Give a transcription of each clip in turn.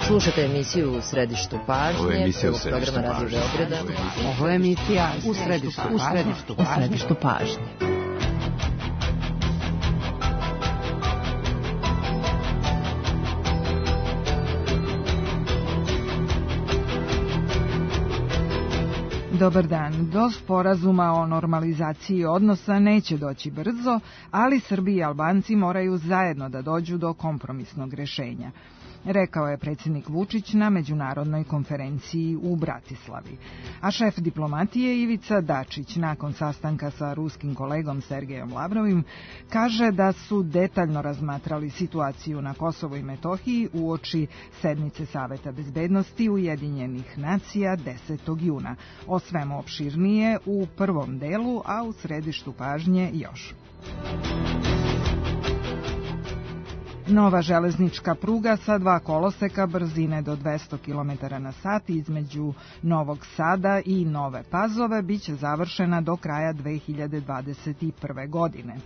Slušate emisiju U središtu pažnje, prvog programa Radio Beograda. Ovo je emisija U središtu pažnje. Dobar dan. Do sporazuma o normalizaciji odnosa neće doći brzo, ali Srbi i Albanci moraju zajedno da dođu do kompromisnog rešenja, rekao je predsjednik Vučić na međunarodnoj konferenciji u Bratislavi. A šef diplomatije Ivica Dačić, nakon sastanka sa ruskim kolegom Sergejom Lavrovim, kaže da su detaljno razmatrali situaciju na Kosovu i Metohiji uoči sednice Saveta bezbednosti Ujedinjenih nacija 10. juna. O svemu opširnije u prvom delu, a u središtu pažnje još. Nova železnička pruga sa 2 koloseka brzine do 200 km na sat između Novog Sada i Nove Pazove biće završena do kraja 2021. godine.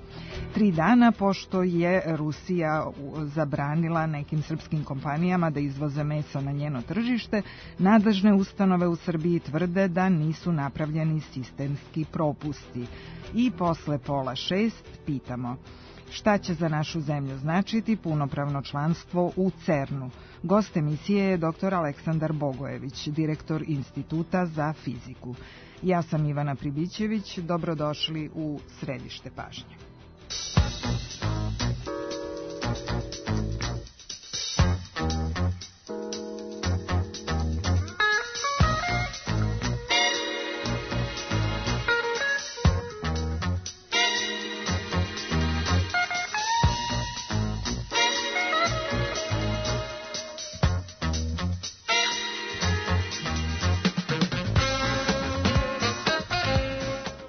3 dana pošto je Rusija zabranila nekim srpskim kompanijama da izvoze meso na njeno tržište, nadležne ustanove u Srbiji tvrde da nisu napravljeni sistemski propusti. I posle 5:30 pitamo: šta će za našu zemlju značiti punopravno članstvo u CERN-u? Gost emisije je dr. Aleksandar Bogojević, direktor Instituta za fiziku. Ja sam Ivana Pribićević, dobrodošli u središte pažnje.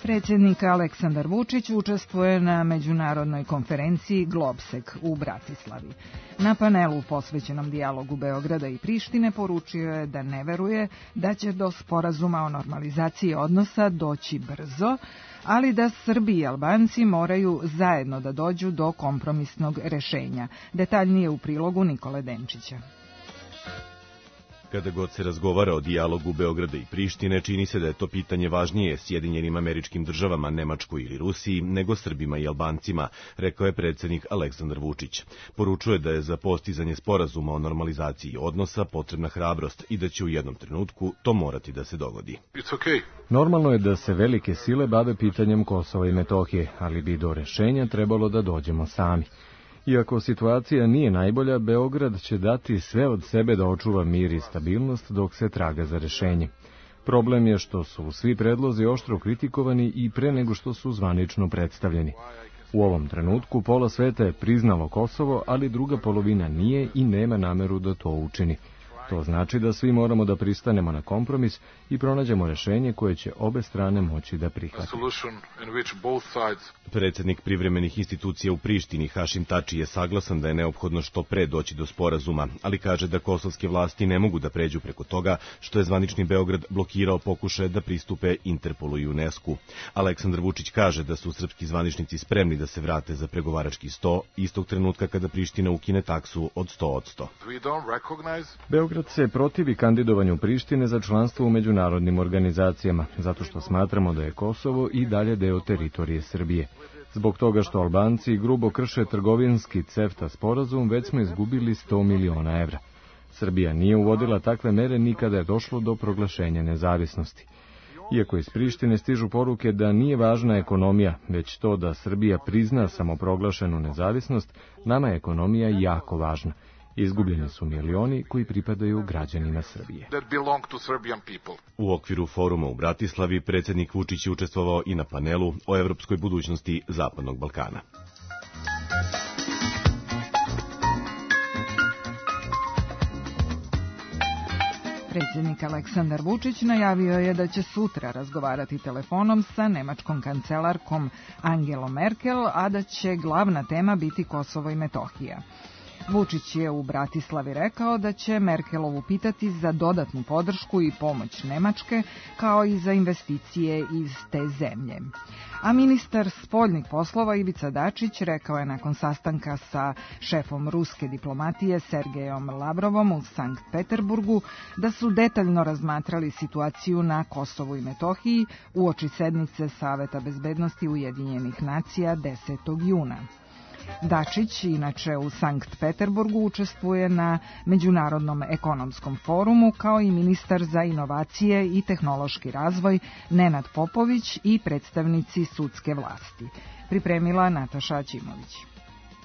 Predsjednik Aleksandar Vučić učestvuje na međunarodnoj konferenciji Globsek u Bratislavi. Na panelu posvećenom dijalogu Beograda i Prištine poručio je da ne veruje da će do sporazuma o normalizaciji odnosa doći brzo, ali da Srbi i Albanci moraju zajedno da dođu do kompromisnog rešenja. Detaljnije u prilogu Nikole Denčića. Kada god se razgovara o dijalogu Beograda i Prištine, čini se da je to pitanje važnije Sjedinjenim Američkim Državama, Nemačkoj ili Rusiji, nego Srbima i Albancima, rekao je predsjednik Aleksandar Vučić. Poručuje da je za postizanje sporazuma o normalizaciji odnosa potrebna hrabrost i da će u jednom trenutku to morati da se dogodi. Normalno je da se velike sile bave pitanjem Kosova i Metohije, ali bi do rešenja trebalo da dođemo sami. Iako situacija nije najbolja, Beograd će dati sve od sebe da očuva mir i stabilnost dok se traga za rešenje. Problem je što su svi predlozi oštro kritikovani i pre nego što su zvanično predstavljeni. U ovom trenutku pola sveta je priznalo Kosovo, ali druga polovina nije i nema nameru da to učini. To znači da svi moramo da pristanemo na kompromis i pronađemo rešenje koje će obe strane moći da prihvate. Predsjednik privremenih institucija u Prištini Hašim Tači je saglasan da je neophodno što pre doći do sporazuma, ali kaže da kosovske vlasti ne mogu da pređu preko toga što je zvanični Beograd blokirao pokušaje da pristupe Interpolu i UNESCO. Aleksandar Vučić kaže da su srpski zvaničnici spremni da se vrate za pregovarački sto istog trenutka kada Priština ukine taksu od 100%. Beograd se protivi kandidovanju Prištine za članstvo u međunarodnim organizacijama, zato što smatramo da je Kosovo i dalje deo teritorije Srbije. Zbog toga što Albanci grubo krše trgovinski CEFTA sporazum, već smo izgubili 100 miliona evra. Srbija nije uvodila takve mere ni kada je došlo do proglašenja nezavisnosti. Iako iz Prištine stižu poruke da nije važna ekonomija, već to da Srbija prizna samoproglašenu nezavisnost, nama je ekonomija jako važna. Izgubljeni su milioni koji pripadaju građanima Srbije. U okviru foruma u Bratislavi predsjednik Vučić je učestvovao i na panelu o evropskoj budućnosti Zapadnog Balkana. Predsjednik Aleksandar Vučić najavio je da će sutra razgovarati telefonom sa nemačkom kancelarkom Angelom Merkel, a da će glavna tema biti Kosovo i Metohija. Vučić je u Bratislavi rekao da će Merkelovu pitati za dodatnu podršku i pomoć Nemačke, kao i za investicije iz te zemlje. A ministar spoljnih poslova Ivica Dačić rekao je nakon sastanka sa šefom ruske diplomatije Sergejom Lavrovom u Sankt Peterburgu da su detaljno razmatrali situaciju na Kosovu i Metohiji uoči sednice Saveta bezbednosti Ujedinjenih nacija 10. juna. Dačić, inače u Sankt Peterburgu, učestvuje na Međunarodnom ekonomskom forumu kao i ministar za inovacije i tehnološki razvoj Nenad Popović i predstavnici sudske vlasti. Pripremila Nataša Aćimović.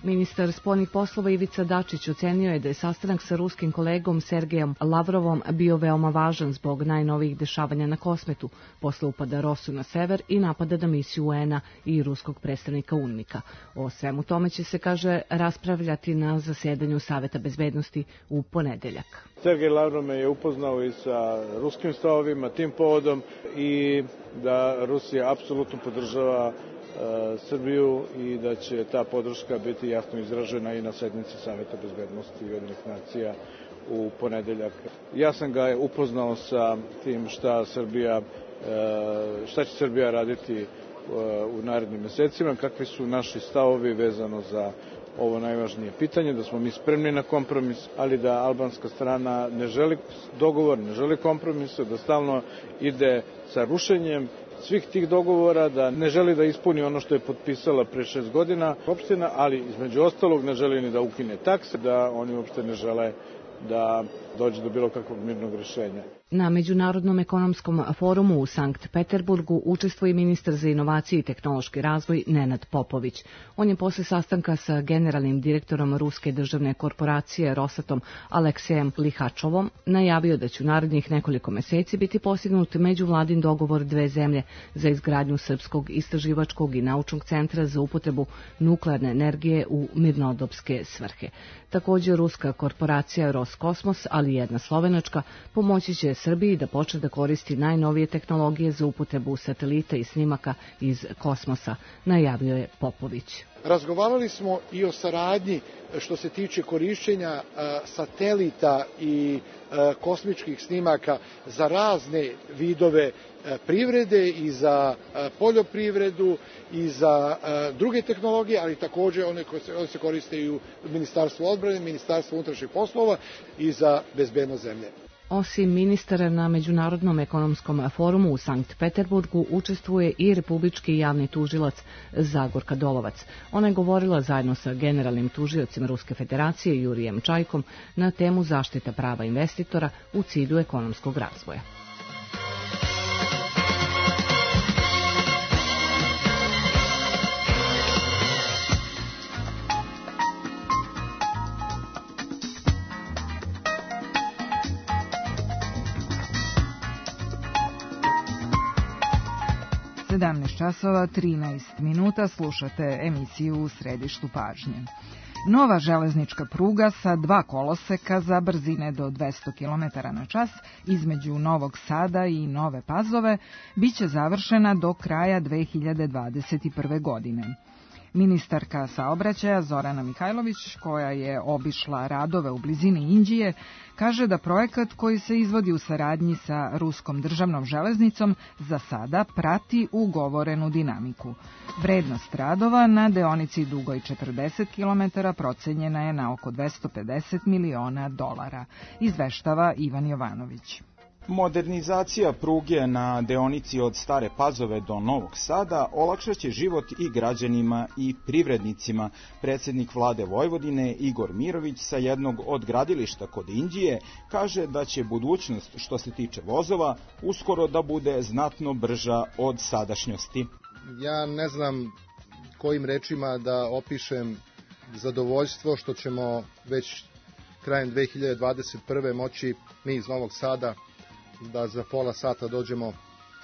Ministar spoljnih poslova Ivica Dačić ocenio je da je sastanak sa ruskim kolegom Sergejom Lavrovom bio veoma važan zbog najnovijih dešavanja na Kosmetu, posle upada Rosu na sever i napada na misiju UN-a i ruskog predstavnika UNMIK-a. O svemu tome će se, kaže, raspravljati na zasedanju Saveta bezbednosti u ponedeljak. Sergej Lavrov me je upoznao i sa ruskim stavovima tim povodom i da Rusija apsolutno podržava Srbiju i da će ta podrška biti jasno izražena i na sednici Saveta bezbednosti Ujedinjenih nacija u ponedeljak. Ja sam ga upoznao sa tim šta će Srbija raditi u narednim mesecima, kakvi su naši stavovi vezano za ovo najvažnije pitanje, da smo mi spremni na kompromis, ali da albanska strana ne želi dogovor, ne želi kompromise, da stalno ide sa rušenjem svih tih dogovora, da ne želi da ispuni ono što je potpisala pre 6 godina opština, ali između ostalog ne želi ni da ukine takse, da oni uopšte ne žele da dođe do bilo kakvog mirnog rešenja. Na Međunarodnom ekonomskom forumu u Sankt Peterburgu učestvuje ministar za inovacije i tehnološki razvoj Nenad Popović. On je posle sastanka sa generalnim direktorom ruske državne korporacije Rosatom Aleksejem Lihačovom najavio da će u narednih nekoliko meseci biti postignut međuvladin dogovor dve zemlje za izgradnju Srpskog istraživačkog i naučnog centra za upotrebu nuklearne energije u mirnodopske svrhe. Također, ruska korporacija Roskosmos, ali i jedna slovenačka, pomoći će Srbiji da počne da koristi najnovije tehnologije za upotrebu satelita i snimaka iz kosmosa, najavio je Popović. Razgovarali smo i o saradnji što se tiče korišćenja satelita i kosmičkih snimaka za razne vidove privrede i za poljoprivredu i za druge tehnologije, ali također one koje se koriste i u Ministarstvu odbrane, Ministarstvu unutrašnjih poslova i za bezbednost zemlje. Osim ministara na Međunarodnom ekonomskom forumu u Sankt Peterburgu učestvuje i republički javni tužilac Zagorka Dolovac. Ona je govorila zajedno sa generalnim tužiocem Ruske federacije Jurijem Čajkom na temu zaštita prava investitora u cilju ekonomskog razvoja. časova 13 minuta slušate emisiju U središtu pažnje. Nova železnička pruga sa 2 koloseka za brzine do 200 km na čas između Novog Sada i Nove Pazove biće završena do kraja 2021. godine. Ministarka saobraćaja Zorana Mihajlović, koja je obišla radove u blizini Inđije, kaže da projekat koji se izvodi u saradnji sa Ruskom državnom železnicom za sada prati ugovorenu dinamiku. Vrednost radova na deonici dugoj 40 km procenjena je na oko $250 miliona, izveštava Ivan Jovanović. Modernizacija pruge na deonici od Stare Pazove do Novog Sada olakšaće život i građanima i privrednicima. Predsjednik vlade Vojvodine Igor Mirović sa jednog od gradilišta kod Inđije kaže da će budućnost što se tiče vozova uskoro da bude znatno brža od sadašnjosti. Ja ne znam kojim rečima da opišem zadovoljstvo što ćemo već krajem 2021. moći mi iz Novog Sada da za pola sata dođemo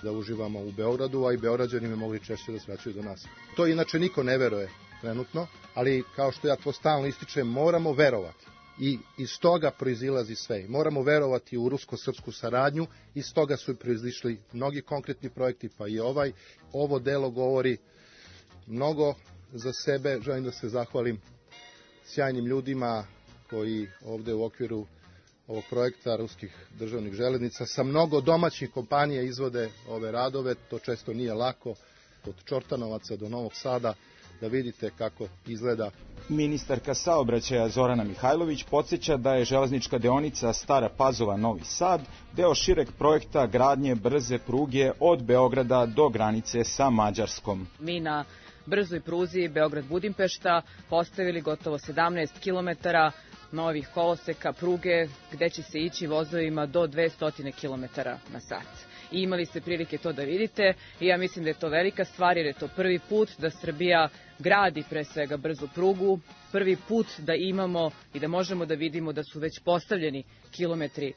da uživamo u Beogradu, a i Beograđani bi mogli češće da svraćaju do nas. To inače niko ne veruje trenutno, ali kao što ja to stalno ističem, moramo verovati. I iz toga proizilazi sve. Moramo verovati u rusko-srpsku saradnju, iz toga su proizišli mnogi konkretni projekti, pa i ovaj. Ovo delo govori mnogo za sebe. Želim da se zahvalim sjajnim ljudima koji ovde u okviru ovog projekta ruskih državnih železnica sa mnogo domaćih kompanija izvode ove radove. To često nije lako, od Čortanovaca do Novog Sada, da vidite kako izgleda. Ministarka saobraćaja Zorana Mihajlović podsjeća da je železnička deonica Stara Pazova-Novi Sad deo šireg projekta gradnje brze pruge od Beograda do granice sa Mađarskom. Mi na brzoj pruzi Beograd-Budimpešta postavili gotovo 17 km novih koloseka pruge gde će se ići vozovima do 200 km na sat. I imali ste prilike to da vidite i ja mislim da je to velika stvar jer je to prvi put da Srbija gradi pre svega brzu prugu, prvi put da imamo i da možemo da vidimo da su već postavljeni kilometri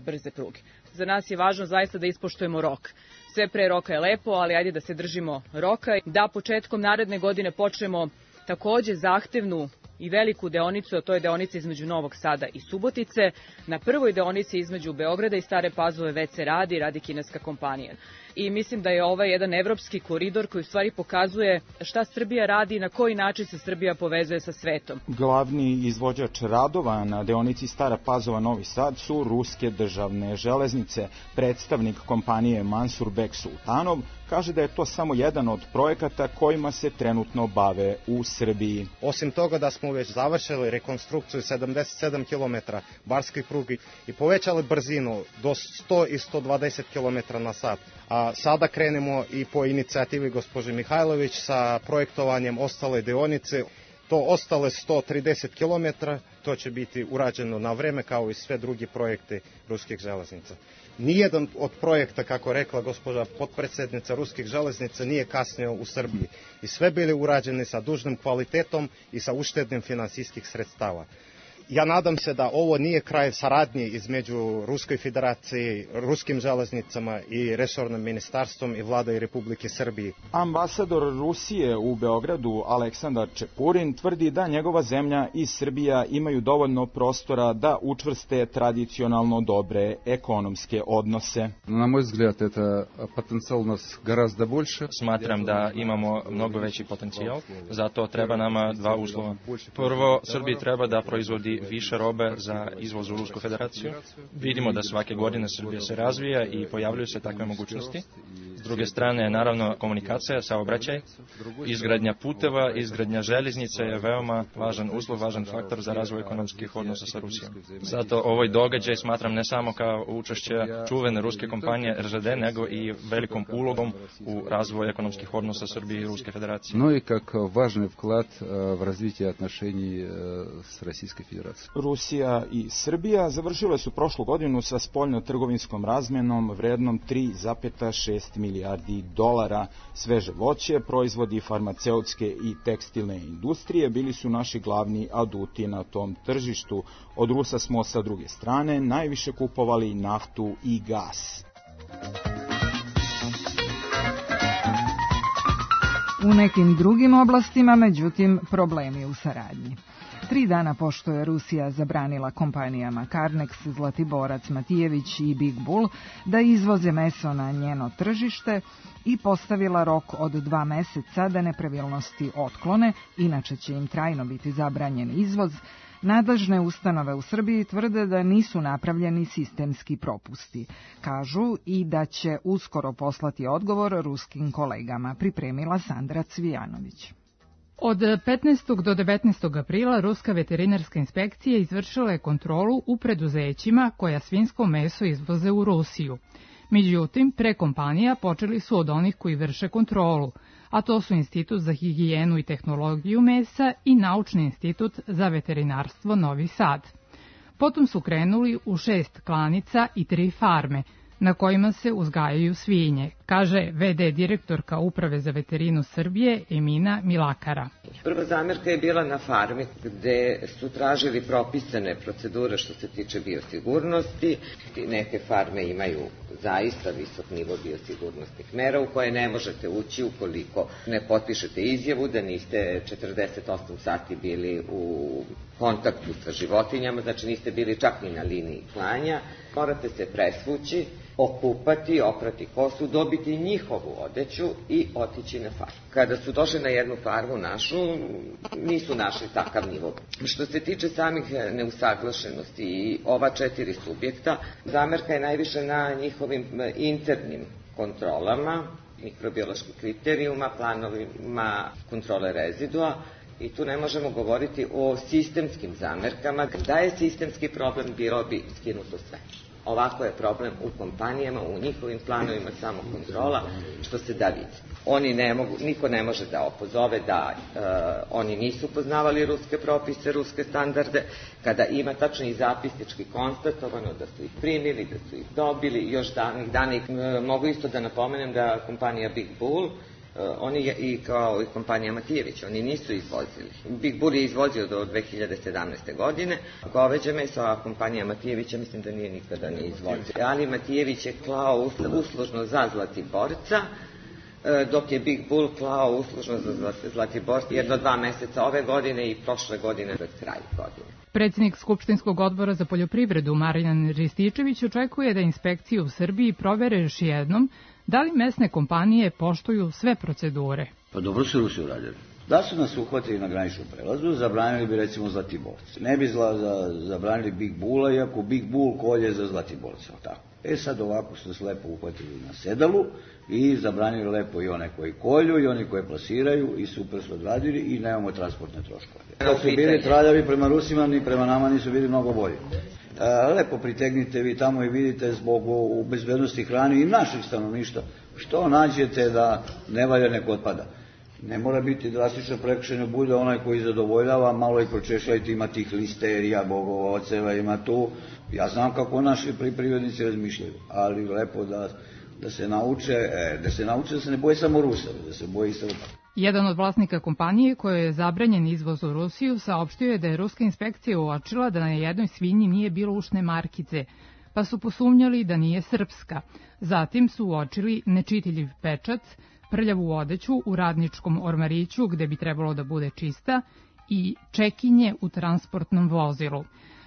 brze pruge. Za nas je važno zaista da ispoštujemo rok. Sve pre roka je lepo, ali ajde da se držimo roka, da početkom naredne godine počnemo takođe zahtevnu i veliku deonicu, a to je deonica između Novog Sada i Subotice. Na prvoj deonici između Beograda i Stare Pazove već se radi kineska kompanija. I mislim da je ovaj jedan evropski koridor koji u stvari pokazuje šta Srbija radi i na koji način se Srbija povezuje sa svetom. Glavni izvođač radova na deonici Stara Pazova-Novi Sad su ruske državne železnice. Predstavnik kompanije Mansur Bek Sultanov kaže da je to samo jedan od projekata kojima se trenutno bave u Srbiji. Osim toga da smo već završili rekonstrukciju 77 km barskih prugi i povećali brzinu do 100 i 120 km na sat. A sada krenemo i po inicijativi gospođe Mihajlović sa projektovanjem ostale deonice. To ostale 130 km, to će biti urađeno na vreme kao i sve drugi projekte ruskih železnica. Nijedan od projekta, kako rekla gospođa potpredsjednica ruskih železnica, nije kasnio u Srbiji. I sve bili urađeni sa dužnim kvalitetom i sa uštednim finansijskih sredstava. Ja nadam se da ovo nije kraj saradnje između Ruskoj federaciji, ruskim železnicama i resornim ministarstvom i vladom Republike Srbije. Ambasador Rusije u Beogradu Aleksandar Čepurin tvrdi da njegova zemlja i Srbija imaju dovoljno prostora da učvrste tradicionalno dobre ekonomske odnose. Na moj взгляд, это потенциал у нас гораздо больше. Smatram da imamo mnogo veći potencijal, zato treba nama dva uslova. Prvo, Srbiji treba da proizvodi više robe za izvoz u Rusku federaciju. Vidimo da svake godine Srbija se razvija i pojavljuju se takve mogućnosti. S druge strane, naravno, komunikacija, saobraćaj, izgradnja puteva, izgradnja železnice je veoma važan uslov, važan faktor za razvoj ekonomskih odnosa sa Rusijom. Zato ovaj događaj smatram ne samo kao učešće čuvene ruske kompanije RŽD, nego i velikom ulogom u razvoj ekonomskih odnosa Srbije i Ruske federacije. No i как важный вклад в развитие отношений с Российской Федерацией. Rusija i Srbija završile su prošlu godinu sa spoljno-trgovinskom razmenom vrednom 3,6 milijardi dolara. Sveže voće, proizvodi farmaceutske i tekstilne industrije bili su naši glavni aduti na tom tržištu. Od Rusa smo sa druge strane najviše kupovali naftu i gas. U nekim drugim oblastima, međutim, problemi u saradnji. 3 dana pošto je Rusija zabranila kompanijama Carnex, Zlatiborac, Matijević i Big Bull da izvoze meso na njeno tržište i postavila rok od 2 meseca da nepravilnosti otklone, inače će im trajno biti zabranjen izvoz, nadležne ustanove u Srbiji tvrde da nisu napravljeni sistemski propusti. Kažu i da će uskoro poslati odgovor ruskim kolegama, pripremila Sandra Cvijanović. Od 15. do 19. aprila Ruska veterinarska inspekcija izvršila je kontrolu u preduzećima koja svinjsko meso izvoze u Rusiju. Međutim, pre kompanija počeli su od onih koji vrše kontrolu, a to su Institut za higijenu i tehnologiju mesa i Naučni institut za veterinarstvo Novi Sad. Potom su krenuli u 6 klanica i 3 farme, na kojima se uzgajaju svinje, kaže VD direktorka Uprave za veterinu Srbije Emina Milakara. Prva zamerka je bila na farmi gde su tražili propisane procedure što se tiče biosigurnosti. Neke farme imaju zaista visok nivo biosigurnosnih mera u koje ne možete ući ukoliko ne potpišete izjavu da niste 48 sati bili u kontaktu sa životinjama, znači niste bili čak ni na liniji klanja. Morate se presvući, okupati, oprati kosu, dobiti njihovu odeću i otići na farmu. Kada su došli na jednu farmu našu, nisu našli takav nivo. Što se tiče samih neusaglašenosti i ova 4 subjekta, zamerka je najviše na njihovim internim kontrolama, mikrobioloških kriterijuma, planovima kontrole rezidua, i tu ne možemo govoriti o sistemskim zamerkama. Da je sistemski problem, bilo bi skinuto sve. Ovako je problem u kompanijama, u njihovim planovima samokontrola, što se da vidi. Niko ne može da opozove da oni nisu poznavali ruske propise, ruske standarde, kada ima tačno i zapisnički konstatovano da su ih primili, da su ih dobili, još danih dana. Mogu isto da napomenem da kompanija Big Bull, oni i kao i kompanija Matijević, oni nisu izvozili. Big Bull je izvozio do 2017. godine, goveđe meso, a kompanija Matijevića mislim da nije nikada ni izvozio. Ali Matijević je klao uslužno za Zlatiborca, dok je Big Bull klao uslužno za Zlatiborca 1-2 meseca ove godine i prošle godine pred kraj godine. Predsjednik Skupštinskog odbora za poljoprivredu Marijan Rističević očekuje da inspekcije u Srbiji provere još jednom da li mesne kompanije poštuju sve procedure. Pa dobro su Rusi uradili. Da su nas uhvatili na graničnom prelazu, zabranili bi recimo Zlatiborce. Ne bi zabranili Big Bulla, iako Big Bull kolje za Zlatiborca. Tako. Sad ovako su nas lepo uhvatili na sedalu i zabranili lepo i one koji kolju i oni koji plasiraju i super su odradili i nemamo transportne troškove. Kad su bili traljavi prema Rusima, ni prema nama nisu bili mnogo bolji. Lepo pritegnite vi tamo i vidite zbog bezbednosti hrane i naših stanovništva što nađete da ne valja, nek otpada. Ne mora biti drastično prekršeno, bude onaj koji zadovoljava, malo i pročešljajte, ima tih listerija, bogova, oceva, ima tu. Ja znam kako naši privrednici razmišljaju, ali lepo da se nauče, da se ne boje samo Rusa, da se boje i Srba. Jedan od vlasnika kompanije koje je zabranjen izvoz u Rusiju saopštio je da je ruska inspekcija uočila da na jednoj svinji nije bilo ušne markice, pa su posumnjali da nije srpska. Zatim su uočili nečitljiv pečat, prljavu odeću u radničkom ormariću gde bi trebalo da bude čista i čekinje u transportnom vozilu.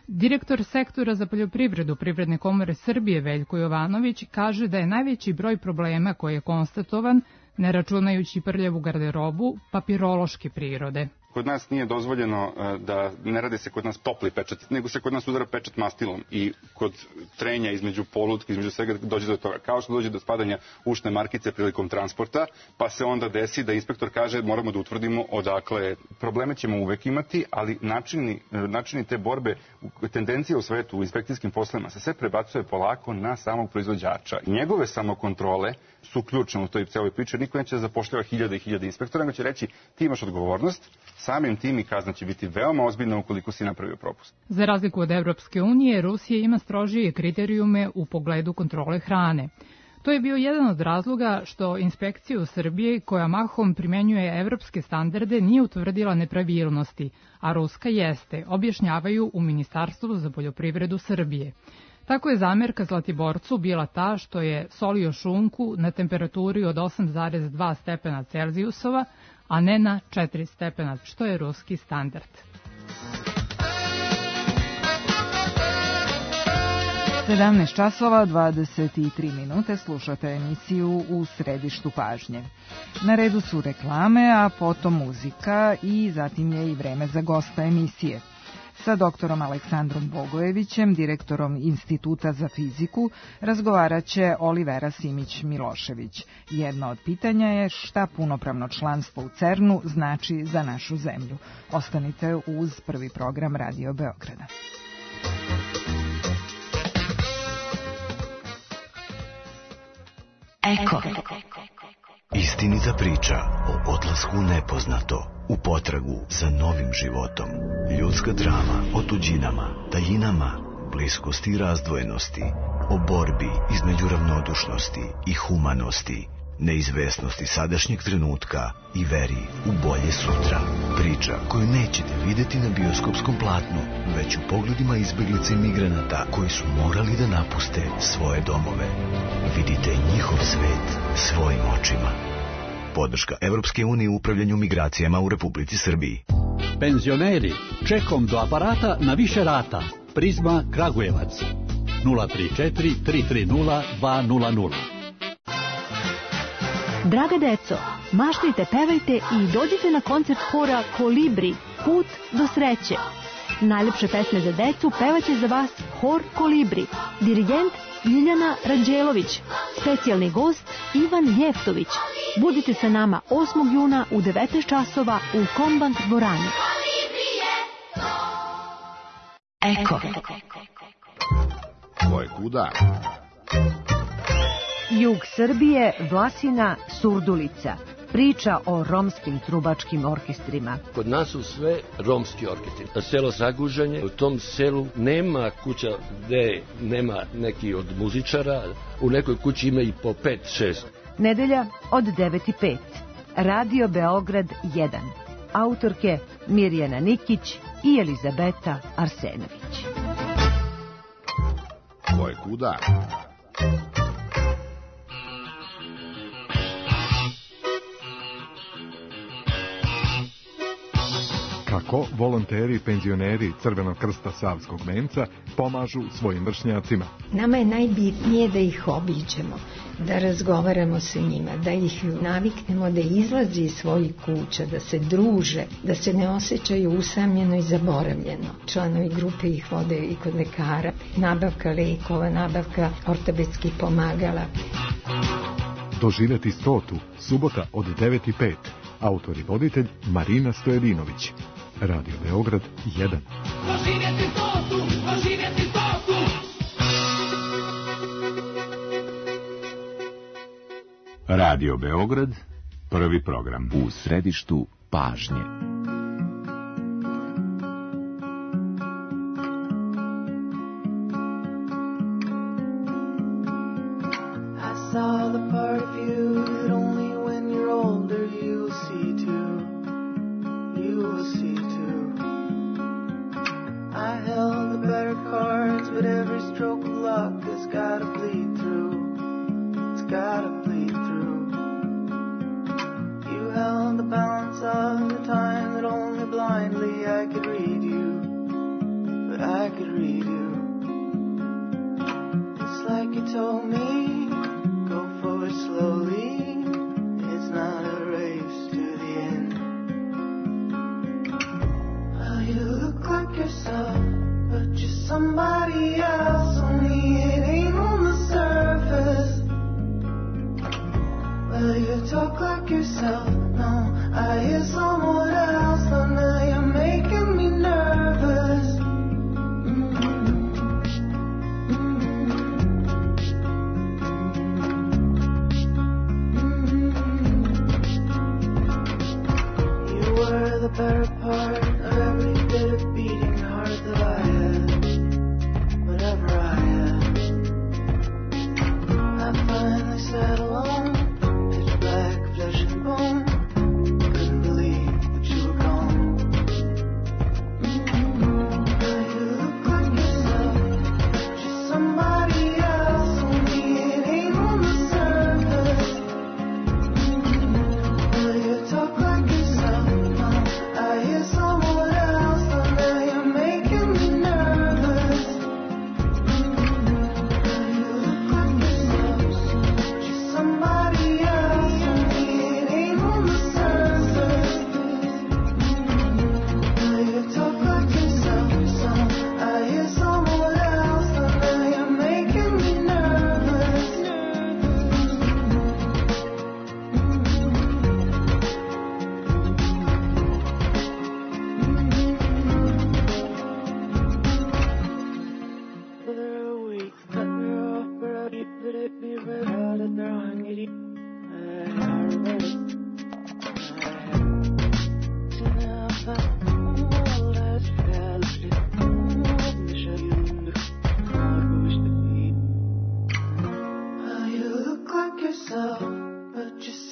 Direktor sektora za poljoprivredu Privredne komore Srbije Veljko Jovanović kaže da je najveći broj problema koji je konstatovan, ne računajući prljavu garderobu, papirološke prirode. Kod nas nije dozvoljeno da ne radi se kod nas topli pečat, nego se kod nas udara pečat mastilom i kod trenja između polutke, između svega dođe do toga. Kao što dođe do spadanja ušne markice prilikom transporta, pa se onda desi da inspektor kaže moramo da utvrdimo odakle. Probleme ćemo uvek imati, ali načini te borbe, tendencije u svetu, u inspekcijskim poslovima se sve prebacuje polako na samog proizvođača. Njegove samokontrole su ključne u toj celoj priči. Niko neće da zapošljava hiljade i hiljade inspektora, nego će reći ti imaš odgovornost, samim tim i kazna će biti veoma ozbiljna ukoliko si napravio propust. Za razliku od Evropske unije, Rusija ima strožije kriterijume u pogledu kontrole hrane. To je bio jedan od razloga što inspekcija u Srbiji, koja mahom primenjuje evropske standarde, nije utvrdila nepravilnosti, a ruska jeste, objašnjavaju u Ministarstvu za poljoprivredu Srbije. Tako je zamerka Zlatiborcu bila ta što je solio šunku na temperaturi od 8,2 stepena Celzijusova, a ne na 4 stepena, što je ruski standard. časova 23 minute, slušate emisiju U središtu pažnje. Na redu su reklame, a potom muzika i zatim je i vreme za gosta emisije. Sa doktorom Aleksandrom Bogojevićem, direktorom Instituta za fiziku, razgovarat će Olivera Simić-Milošević. Jedno od pitanja je šta punopravno članstvo u CERN-u znači za našu zemlju. Ostanite uz prvi program Radio Beograda. Eko. Istinita priča o odlasku u nepoznato, u potragu za novim životom. Ljudska drama o tuđinama, tajinama, bliskosti i razdvojenosti, o borbi između ravnodušnosti i humanosti, neizvesnosti sadašnjeg trenutka i veri u bolje sutra. Priča koju nećete videti na bioskopskom platnu, već u pogledima izbeglica i migranata koji su morali da napuste svoje domove. Vidite njihov svet svojim očima. Podrška Evropske unije u upravljanju migracijama u Republici Srbiji. Penzioneri, čekom do aparata na više rata. Prizma Kragujevac. 034 330 200. Draga deco, maštajte, pevajte i dođite na koncert hora Kolibri, Put do sreće. Najlepše pesme za decu pevaće za vas hor Kolibri, dirigent Ljiljana Ranđelović, specijalni gost Ivan Jeftović. Budite sa nama 8. juna u 19 časova u Kombank dvorani. Eko. Ko je kuda? Jug Srbije, Vlasina, Surdulica. Priča o romskim trubačkim orkestrima. Kod nas su sve romski orkestri. Selo Zaguženje, u tom selu nema kuća gde nema neki od muzičara. U nekoj kući ima i po 5-6. Nedelja od 9:05. Radio Beograd 1. Autorke Mirjana Nikić i Elizabeta Arsenović. Ko je kuda? Kako volonteri i penzioneri Crvenog krsta Savskog venca pomažu svojim vršnjacima. Nama je najbitnije da ih obiđemo, da razgovaramo sa njima, da ih naviknemo da izlazi iz svojih kuća, da se druže, da se ne osjećaju usamljeno i zaboravljeno. Članovi grupe ih vode i kod lekara, nabavka lekova, nabavka ortopedskih pomagala. Doživjeti 100. subota od 9:05. Autor i voditelj Marina Stojedinović. Radio Beograd 1. Doživjeti 100. Doživjeti 100. Radio Beograd, prvi program. U središtu pažnje. I saw the part of you that only when you're older you'll see too. You will see too. I held the better cards, but every stroke of luck has gotta bleed through. It's gotta bleed through. You held the balance of the time that only blindly I could read you. But I could read you. It's like you told me, go forward slowly. It's not a race to the end. Well, you look like yourself, but you're somebody else. Only it ain't on the surface. Well, you talk like yourself. No, I hear someone else. Oh, now you're making me nervous. You were the better part of every bit of beating heart that I had. Whatever I had, I finally sat alone. Black flesh and bone, couldn't believe that you were gone. You look like yourself, just somebody else. Only it ain't on the surface. Well, you talk like yourself. No, I hear someone else. Oh, now you're making me nervous. You look like yourself, just somebody else.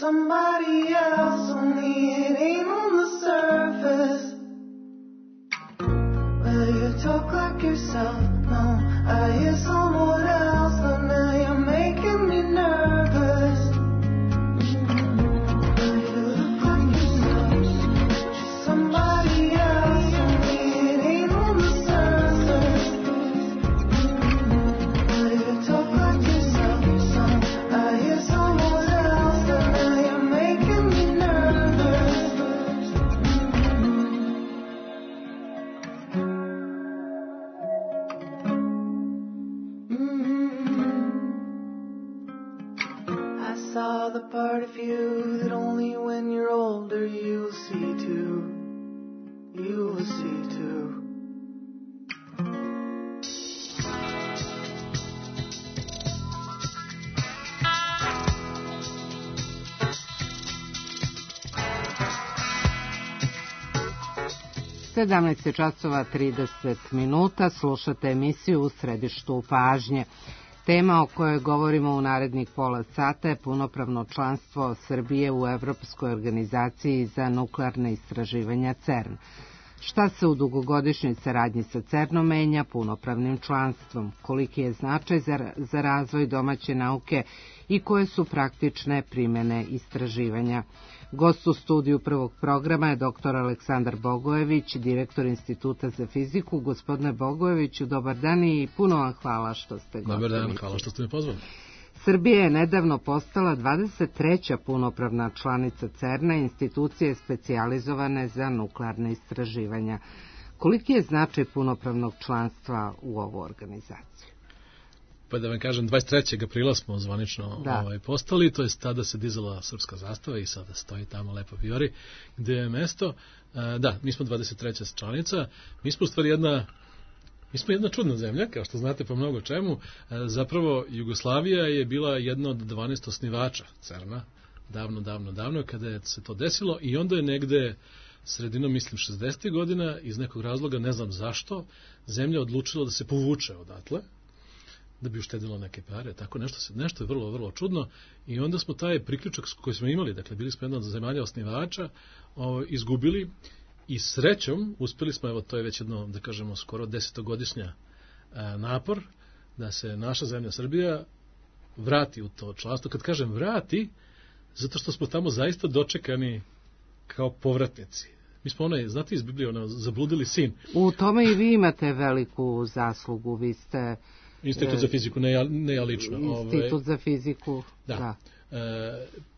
Somebody else, only it ain't on the surface. Well, you talk like yourself. No, I hear someone else. Oh, now you're making me nervous. Well, you look like yourself, just somebody else. Only it ain't on the surface. part of you that only when you're older you'll see too. You will see too. 17 časova 30 minuta, slušate emisiju U središtu pažnje. Tema o kojoj govorimo u narednih pola sata je punopravno članstvo Srbije u Evropskoj organizaciji za nuklearne istraživanja CERN. Šta se u dugogodišnjoj saradnji sa CERN-om menja punopravnim članstvom? Koliki je značaj za razvoj domaće nauke i koje su praktične primjene istraživanja? Gost u studiju prvog programa je dr. Aleksandar Bogojević, direktor Instituta za fiziku. Gospodine Bogojeviću, dobar dan i puno vam hvala što ste gosti. Dobar dan, hvala što ste me pozvali. Srbija je nedavno postala 23. punopravna članica CERN-a, institucije specijalizovane za nuklearne istraživanja. Koliki je značaj punopravnog članstva u ovu organizaciju? Pa da vam kažem, 23. aprila smo zvanično postali, to je tada se dizala srpska zastava i sada stoji tamo lepo vijori gde je mesto. Da, mi smo 23. članica, mi smo u stvari jedna čudna zemlja, kao što znate po mnogo čemu. Zapravo, Jugoslavija je bila jedna od 12 osnivača CERN-a, davno, kada se to desilo, i onda je negde sredinom, mislim, 60. godina, iz nekog razloga, ne znam zašto, zemlja odlučila da se povuče odatle, da bi uštedilo neke pare, tako nešto je vrlo, vrlo čudno, i onda smo taj priključak koji smo imali, dakle, bili smo jedna od zemalja osnivača, izgubili. I srećom, uspeli smo, evo to je već jedno, da kažemo, skoro 10-godišnja napor, da se naša zemlja Srbija vrati u to članstvo. Kad kažem vrati, zato što smo tamo zaista dočekani kao povratnici. Mi smo znate iz Biblije, zabludili sin. U tome i vi imate veliku zaslugu, vi ste... Institut za fiziku, ne ja lično. Institut za fiziku, da.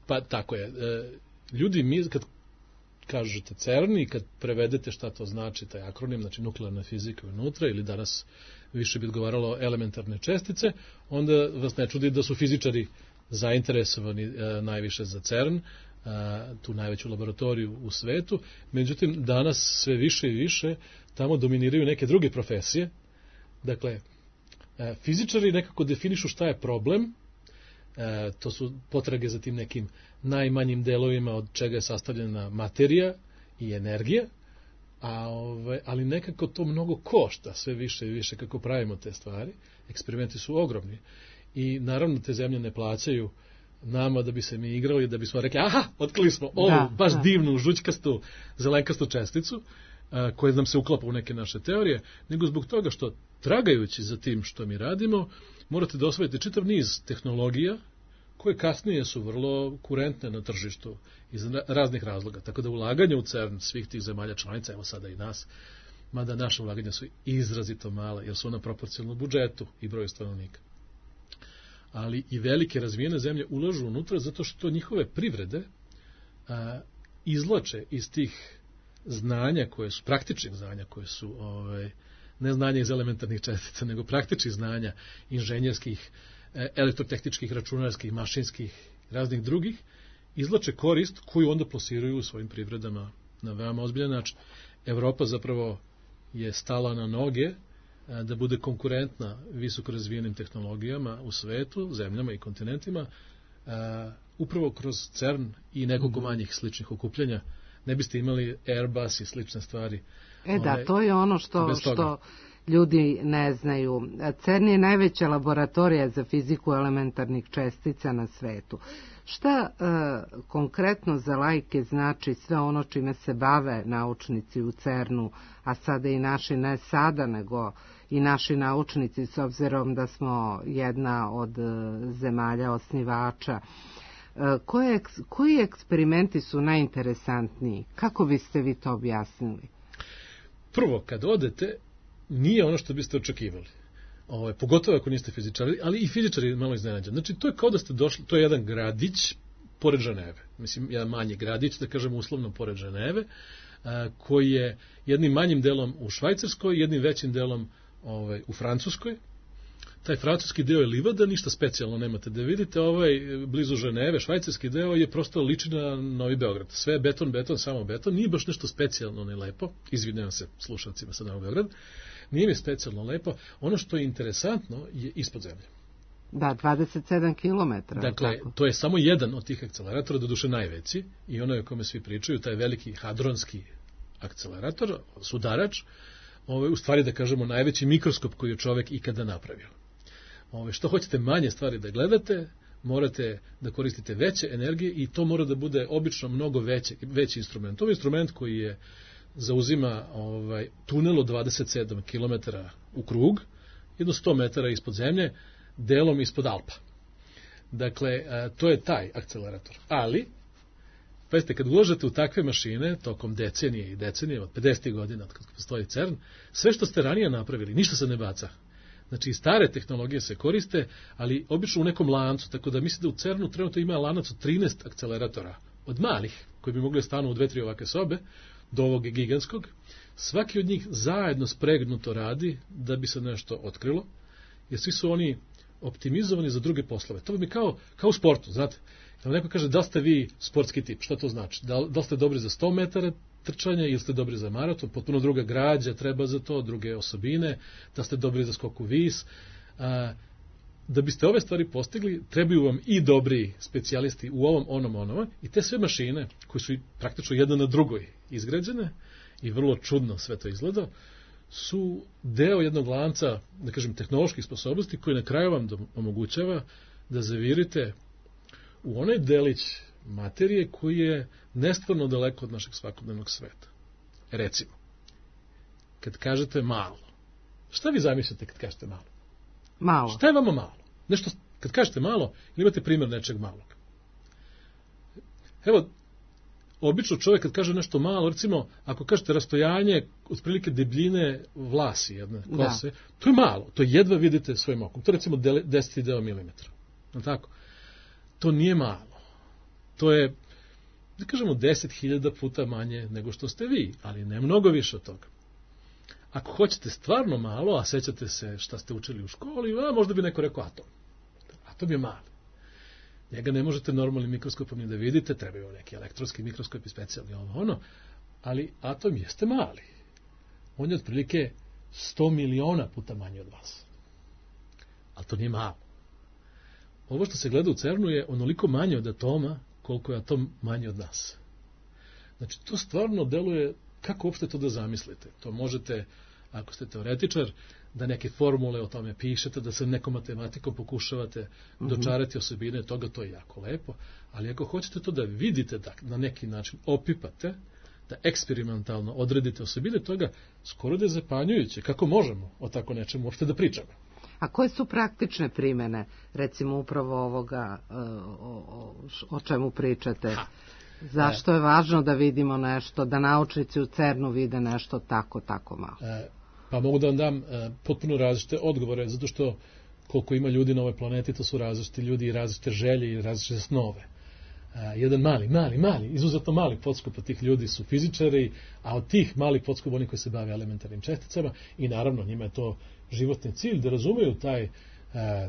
Pa tako je. Ljudi, mi kad kažete CERN i kad prevedete šta to znači, taj akronim, znači nuklearna fizika unutra, ili danas više bi odgovaralo elementarne čestice, onda vas ne čudi da su fizičari zainteresovani najviše za CERN, tu najveću laboratoriju u svetu. Međutim, danas sve više i više tamo dominiraju neke druge profesije. Dakle, fizičari nekako definišu šta je problem, to su potrage za tim nekim najmanjim delovima od čega je sastavljena materija i energija, ali nekako to mnogo košta, sve više i više kako pravimo te stvari. Eksperimenti su ogromni i naravno te zemlje ne plaćaju nama da bi se mi igrali, da bismo rekli, aha, otkrili smo ovu baš divnu, žućkastu, zelenkastu česticu, koje nam se uklapa u neke naše teorije, nego zbog toga što, tragajući za tim što mi radimo, morate da osvojite čitav niz tehnologija koje kasnije su vrlo kurentne na tržištu iz raznih razloga. Tako da ulaganje u CERN svih tih zemalja članica, evo sada i nas, mada naše ulaganja su izrazito mala, jer su ona proporcionalno budžetu i broju stanovnika. Ali i velike razvijene zemlje ulažu unutra zato što njihove privrede izvlače iz tih znanja koje su, praktičnih znanja koje su, ne znanja iz elementarnih čestica, nego praktičnih znanja inženjerskih, elektrotehničkih, računarskih, mašinskih, raznih drugih, izvlače korist koju onda plasiraju u svojim privredama na veoma ozbiljan način. Evropa zapravo je stala na noge da bude konkurentna visoko razvijenim tehnologijama u svetu, zemljama i kontinentima, upravo kroz CERN i nekoliko manjih sličnih okupljanja. Ne biste imali Airbus i slične stvari. Da, to je ono što ljudi ne znaju. CERN je najveća laboratorija za fiziku elementarnih čestica na svetu. Šta konkretno za laike znači sve ono čime se bave naučnici u CERN-u, a sada i naši, ne sada, nego i naši naučnici, s obzirom da smo jedna od zemalja osnivača? Koji eksperimenti su najinteresantniji? Kako biste vi to objasnili? Prvo, kad odete, nije ono što biste očekivali. Pogotovo ako niste fizičari, ali i fizičari malo iznenađeni. Znači, to je kao da ste došli, to je jedan gradić pored Ženeve. Mislim, jedan manji gradić, da kažemo uslovno pored Ženeve, koji je jednim manjim delom u Švajcarskoj, jednim većim delom u Francuskoj. taj francuski deo je livada, ništa specijalno nemate da vidite, blizu Ženeve, švajcarski deo je prosto liči na Novi Beograd. Sve beton, samo beton, nije baš nešto specijalno ne lepo, izvinjavam se slušalcima sa Novog Beograd, nije mi specijalno lepo, ono što je interesantno je ispod zemlje. Da, 27 km. Dakle, to je samo jedan od tih akceleratora, doduše najveći, i ono je o kome svi pričaju, taj veliki hadronski akcelerator, sudarač, u stvari da kažemo najveći mikroskop koji je čovek ikada napravio. Što hoćete manje stvari da gledate, morate da koristite veće energije i to mora da bude obično mnogo veći instrument. To je instrument koji zauzima tunel od 27 km u krug, jedno 100 metara ispod zemlje, delom ispod Alpa. Dakle, to je taj akcelerator. Ali, pazite, kad uložete u takve mašine, tokom decenije i decenije, od 50. godina, kad postoji CERN, sve što ste ranije napravili, ništa se ne baca. Znači, stare tehnologije se koriste, ali obično u nekom lancu, tako da mislim da u CERN-u trenutno ima lanac od 13 akceleratora, od malih, koji bi mogli stanu u 2-3 ovake sobe, do ovog gigantskog. Svaki od njih zajedno spregnuto radi da bi se nešto otkrilo, jer svi su oni optimizovani za druge poslove. To bi kao u sportu, znate. Kada neko kaže da ste vi sportski tip, šta to znači? Da ste dobri za 100 metara trčanja ili ste dobri za maraton, potpuno druga građa treba za to, druge osobine, da ste dobri za skoku vis. Da biste ove stvari postigli, trebaju vam i dobri specijalisti u ovom, onom, i te sve mašine, koje su praktično jedna na drugoj izgrađene i vrlo čudno sve to izgleda, su deo jednog lanca, da kažem, tehnoloških sposobnosti koji na kraju vam omogućava da zavirite u onaj delić materije koji je nestvarno daleko od našeg svakodnevnog sveta. Recimo, kad kažete malo, šta vi zamislite kad kažete malo? Malo. Šta je vama malo? Nešto, kad kažete malo, ili imate primjer nečeg malog? Evo, obično čovjek kad kaže nešto malo, recimo, ako kažete rastojanje otprilike debljine vlasi jedne kose, to je malo, to jedva vidite svojim okom. To je recimo 10 deo milimetra. Tako? To nije malo. To je, da kažemo, 10.000 puta manje nego što ste vi, ali ne mnogo više od toga. Ako hoćete stvarno malo, a sećate se šta ste učili u školi, možda bi neko rekao atom. Atom je mali. Njega ne možete normalnim mikroskopom ni da vidite, trebaju neki elektronski mikroskop i specijalni ali atom jeste mali. On je otprilike 100 miliona puta manji od vas. Ali to nije malo. Ovo što se gleda u CERN-u je onoliko manje od atoma koliko je atom manji od nas. Znači, to stvarno deluje, kako uopšte to da zamislite? To možete, ako ste teoretičar, da neke formule o tome pišete, da se nekom matematikom pokušavate dočarati osobine toga, to je jako lepo, ali ako hoćete to da vidite, da na neki način opipate, da eksperimentalno odredite osobine toga, skoro da je zapanjujuće. Kako možemo o tako nečemu uopšte da pričamo? A koje su praktične primene, recimo upravo ovoga o čemu pričate? Zašto je važno da vidimo nešto, da naučnici u CERN-u vide nešto tako malo? Pa mogu da vam dam potpuno različite odgovore, zato što koliko ima ljudi na ovoj planeti, to su različiti ljudi i različite želje i različite snove. Jedan mali, izuzetno mali podskup od tih ljudi su fizičari, a od tih malih podskupa oni koji se bave elementarnim česticama i naravno njima je to životni cilj da razumeju taj,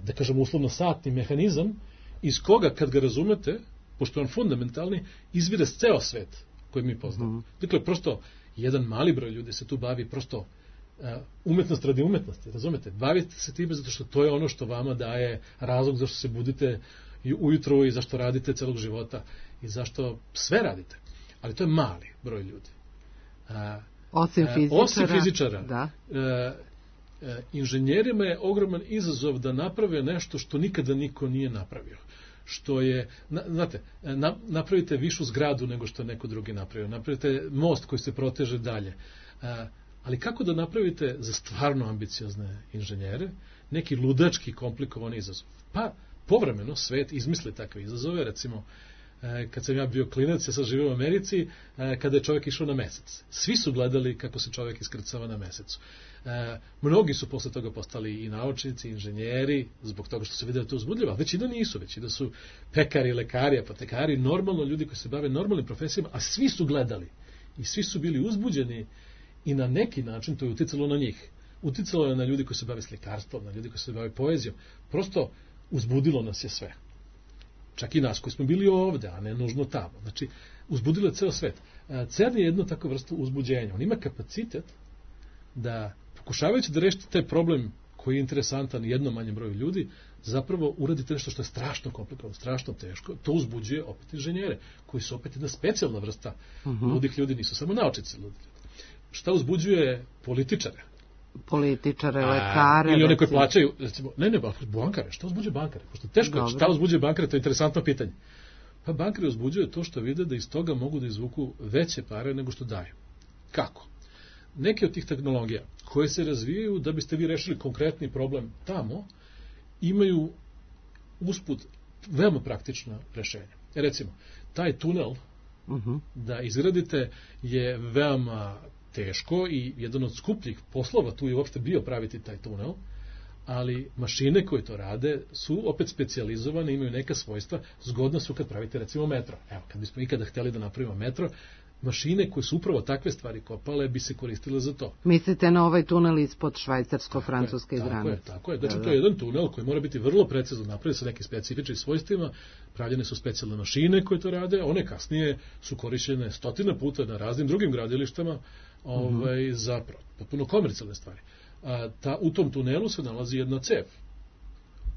da kažem uslovno satni mehanizam iz koga kad ga razumete, pošto je on fundamentalni, izvire ceo svet koji mi poznamo. Dakle, prosto jedan mali broj ljudi se tu bavi prosto umetnost radi umetnosti, razumete? Bavite se time zato što to je ono što vama daje razlog zašto se budite ujutro i zašto radite celog života i zašto sve radite. Ali to je mali broj ljudi. Osim fizičara. Inženjerima je ogroman izazov da naprave nešto što nikada niko nije napravio. Što je, znate, napravite višu zgradu nego što je neko drugi napravio. Napravite most koji se proteže dalje. Ali kako da napravite za stvarno ambiciozne inženjere neki ludački komplikovani izazov? Pa, povremeno svet izmisli takve izazove, recimo, kad sam ja bio klinac, ja sad živim u Americi, kada je čovjek išao na mesec. Svi su gledali kako se čovjek iskrcava na mesecu. Mnogi su posle toga postali i naučnici, i inženjeri, zbog toga što se vide da to uzbudljivo, a većina nisu, većina su pekari, lekari, apotekari, normalno ljudi koji se bave normalnim profesijama, a svi su gledali i svi su bili uzbuđeni i na neki način to je uticalo na njih. uticalo je na ljudi koji se bave slikarstvom, na ljudi koji se bave poezijom. Prosto uzbudilo nas je sve. Čak i nas koji smo bili ovde, a ne nužno tamo. Znači, uzbudilo je ceo svet. CERN je jedno takvo vrstu uzbuđenja. On ima kapacitet da, pokušavajući da rešite taj problem koji je interesantan jednom manjem broju ljudi, zapravo uradite nešto što je strašno komplikovano, strašno teško. To uzbuđuje opet inženjere, koji su opet jedna specijalna vrsta ludih ljudi, nisu samo naučnici ludi ljudi. Šta uzbuđuje političare? Političare, lekare. Ili one koji plaćaju, recimo, bankare. Šta uzbuđuje bankare? Pošto teško je, šta uzbuđuje bankare, to je interesantno pitanje. Pa bankari uzbuđuje to što vide da iz toga mogu da izvuku veće pare nego što daju. Kako? Neke od tih tehnologija koje se razvijaju da biste vi rešili konkretni problem tamo, imaju usput veoma praktična rešenja. Recimo, taj tunel da izgradite je veoma teško i jedan od skupljih poslova tu je uopšte bio praviti taj tunel, ali mašine koje to rade su opet specijalizovane, imaju neka svojstva, zgodna su kad pravite recimo metro. Evo, kad bismo ikada hteli da napravimo metro, mašine koje su upravo takve stvari kopale bi se koristile za to. Mislite na ovaj tunel ispod švajcarsko-francuske granice? Tako je. Znači, to je jedan tunel koji mora biti vrlo precizno napravljen sa nekim specifičnim svojstvima, pravljene su specijalne mašine koje to rade, one kasnije su korišćene stotina puta na raznim drugim gradilištama za potpuno komercijalne stvari. U tom tunelu se nalazi jedna cev,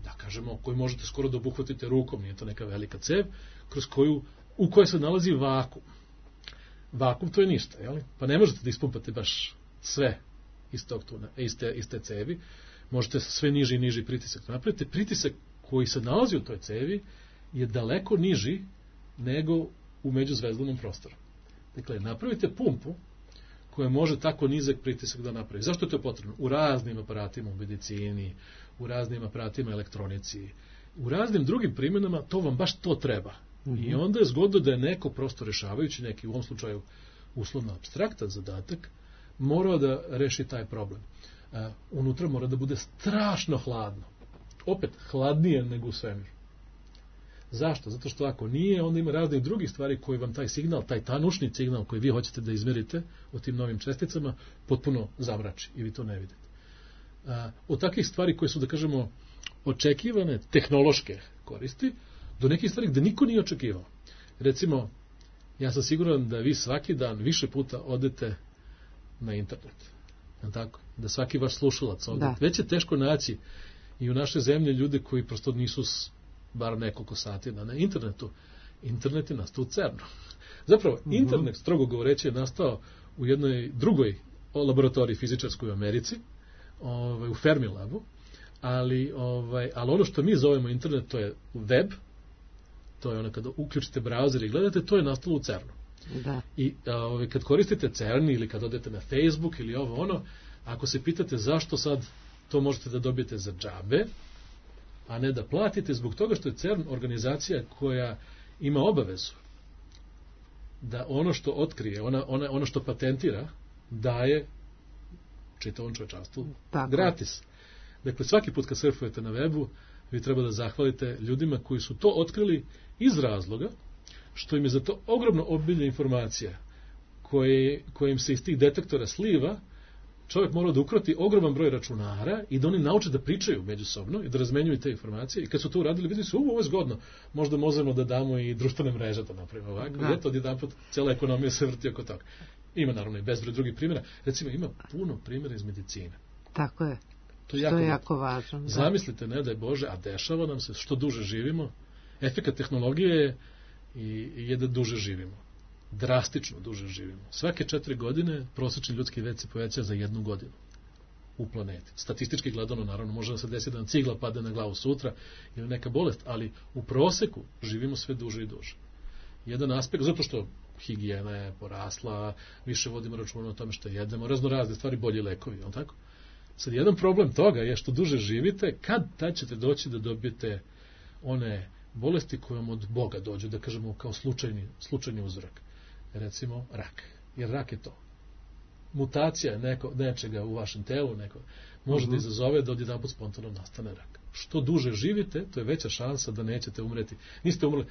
da kažemo, koju možete skoro da obuhvatite rukom, nije to neka velika cev, u kojoj se nalazi vakum. Vakum to je ništa, jel? Pa ne možete da ispumpate baš sve iz tog tunela, iz te cevi, možete sve niži i niži pritisak napraviti. Pritisak koji se nalazi u toj cevi je daleko niži nego u međuzvezdanom prostoru. Dakle, napravite pumpu koja može tako nizak pritisak da napravi. Zašto je to potrebno? U raznim aparatima u medicini, u raznim aparatima elektronici, u raznim drugim primjenama to vam baš to treba. I onda je zgodno da je neko prosto rešavajući neki, u ovom slučaju uslovno apstraktan zadatak, morao da reši taj problem. Unutra mora da bude strašno hladno. Opet, hladnije nego u svemiru. Zašto? Zato što ako nije, onda ima raznih drugih stvari koje vam taj signal, taj tanušni signal koji vi hoćete da izmerite u tim novim česticama, potpuno zamrači i vi to ne vidite. Od takvih stvari koje su, da kažemo, očekivane tehnološke koristi, do nekih stvari gde niko nije očekivao. Recimo, ja sam siguran da vi svaki dan više puta odete na internet. Tako? Da svaki vaš slušalac ovdje. Već je teško naći i u našoj zemlji ljude koji prosto nisu bar nekoliko sati na internetu. Internet je nastao u CERN-u. Zapravo, internet, strogo govoreći, je nastao u jednoj drugoj laboratoriji fizičarskoj u Americi, u Fermilabu, ali ono što mi zovemo internet, to je web, to je ono kada uključite browser i gledate, to je nastalo u CERN-u. I kad koristite CERN ili kad odete na Facebook ili ako se pitate zašto sad to možete da dobijete za džabe, a ne da platite, zbog toga što je CERN organizacija koja ima obavezu da ono što otkrije, ono što patentira, daje čitavom čovečanstvu gratis. Dakle, svaki put kad surfujete na webu, vi treba da zahvalite ljudima koji su to otkrili iz razloga što im je za to ogromno obilje informacija koje im se iz tih detektora sliva. Čovjek mora da ukroti ogroman broj računara i da oni nauče da pričaju međusobno i da razmenjuju te informacije. I kad su to uradili, vidi su, ovo je zgodno. Možda možemo da damo i društvene mreže da napravimo ovako. I eto, odjedanput cijela ekonomija se vrti oko toga. Ima naravno i bezbroj drugih primjera. Recimo, ima puno primjera iz medicine. Tako je. To je jako važno. Zamislite, ne daj Bože, a dešava nam se, što duže živimo, efekat tehnologije je da duže živimo. Drastično duže živimo. Svake 4 godine prosječni ljudski vek se poveća za 1 godinu u planeti. Statistički gledano, naravno, može da se desi da nam cigla padne na glavu sutra ili neka bolest, ali u proseku živimo sve duže i duže. Jedan aspekt, zato što higijena je porasla, više vodimo računa o tome što jedemo, raznorazne stvari, bolji lekovi, jel tako? Sad, jedan problem toga je što duže živite, tad ćete doći da dobijete one bolesti koje vam od Boga dođu, da kažemo kao slučajni uzorak. Recimo, rak. Jer rak je to. Mutacija nečega u vašem telu može da izazove da odjedanput spontano nastane rak. Što duže živite, to je veća šansa da nećete umreti.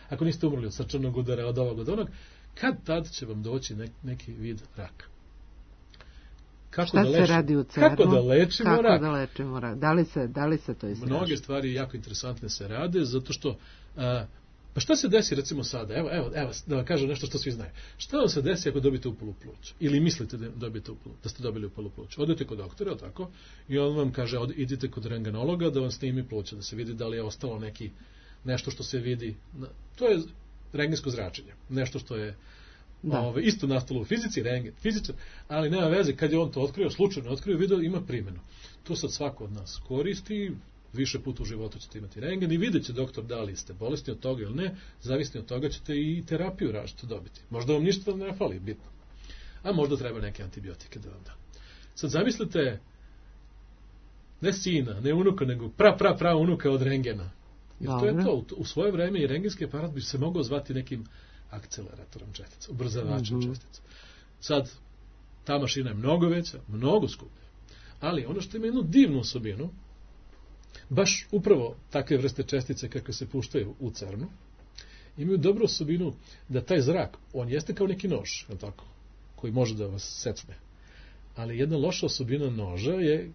Ako niste umrli od srčanog udara, od ovog, od onog, kad tad će vam doći neki vid raka. Šta se radi u CERN-u? Kako da lečimo rak? Da li se to istraži? Mnoge stvari jako interesantne se rade, zato što... Pa šta se desi recimo sada? Evo, da vam kažem nešto što svi znaju. Šta vam se desi ako dobite upalu pluća? Ili mislite da ste dobili upalu pluća? Odete kod doktora, tako? I on vam kaže, idite kod rengenologa da vam snimi pluća, da se vidi da li je ostalo nešto što se vidi. To je rengensko zračenje. Nešto što je isto nastalo u fizici, rengen, fizičar, ali nema veze. Kad je on to slučajno otkrio, video, ima primjenu. To sad svako od nas koristi, više puta u životu ćete imati rengen i vidjet će doktor da li ste bolesni od toga ili ne, zavisni od toga ćete i terapiju različito dobiti. Možda vam ništa ne fali, bitno. A možda treba neke antibiotike da vam da. Sad zamislite, ne sina, ne unuka, nego pra unuka od rengena. Jer to je to. U svoje vreme i rengenski aparat bi se mogao zvati nekim akceleratorom čestica, ubrzavačem čestica. Sad, ta mašina je mnogo veća, mnogo skuplja. Ali ono što ima jednu divnu osobinu, baš upravo takve vrste čestice kakve se puštaju u CERN-u, imaju dobru osobinu da taj zrak, on jeste kao neki nož, tako, koji može da vas secne. Ali jedna loša osobina noža je...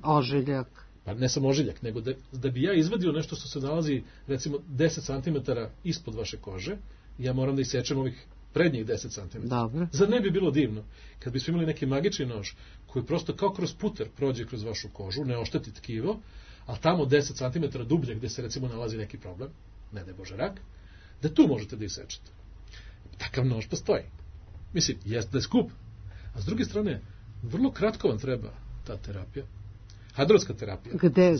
Ožiljak. Pa ne samo ožiljak, nego da bi ja izvadio nešto što se nalazi, recimo, 10 cm ispod vaše kože, ja moram da isečem ovih prednjih 10 cm. Dobro. Zar ne bi bilo divno kad bismo imali neki magični nož koji prosto kao kroz puter prođe kroz vašu kožu, ne ošteti tkivo, a tamo 10 cm dublje gdje se recimo nalazi neki problem, ne daj Bože rak, da tu možete da isečete. Takav nož postoji. Mislim, jest da je skup. A s druge strane, vrlo kratko vam treba ta terapija. Hadronska terapija.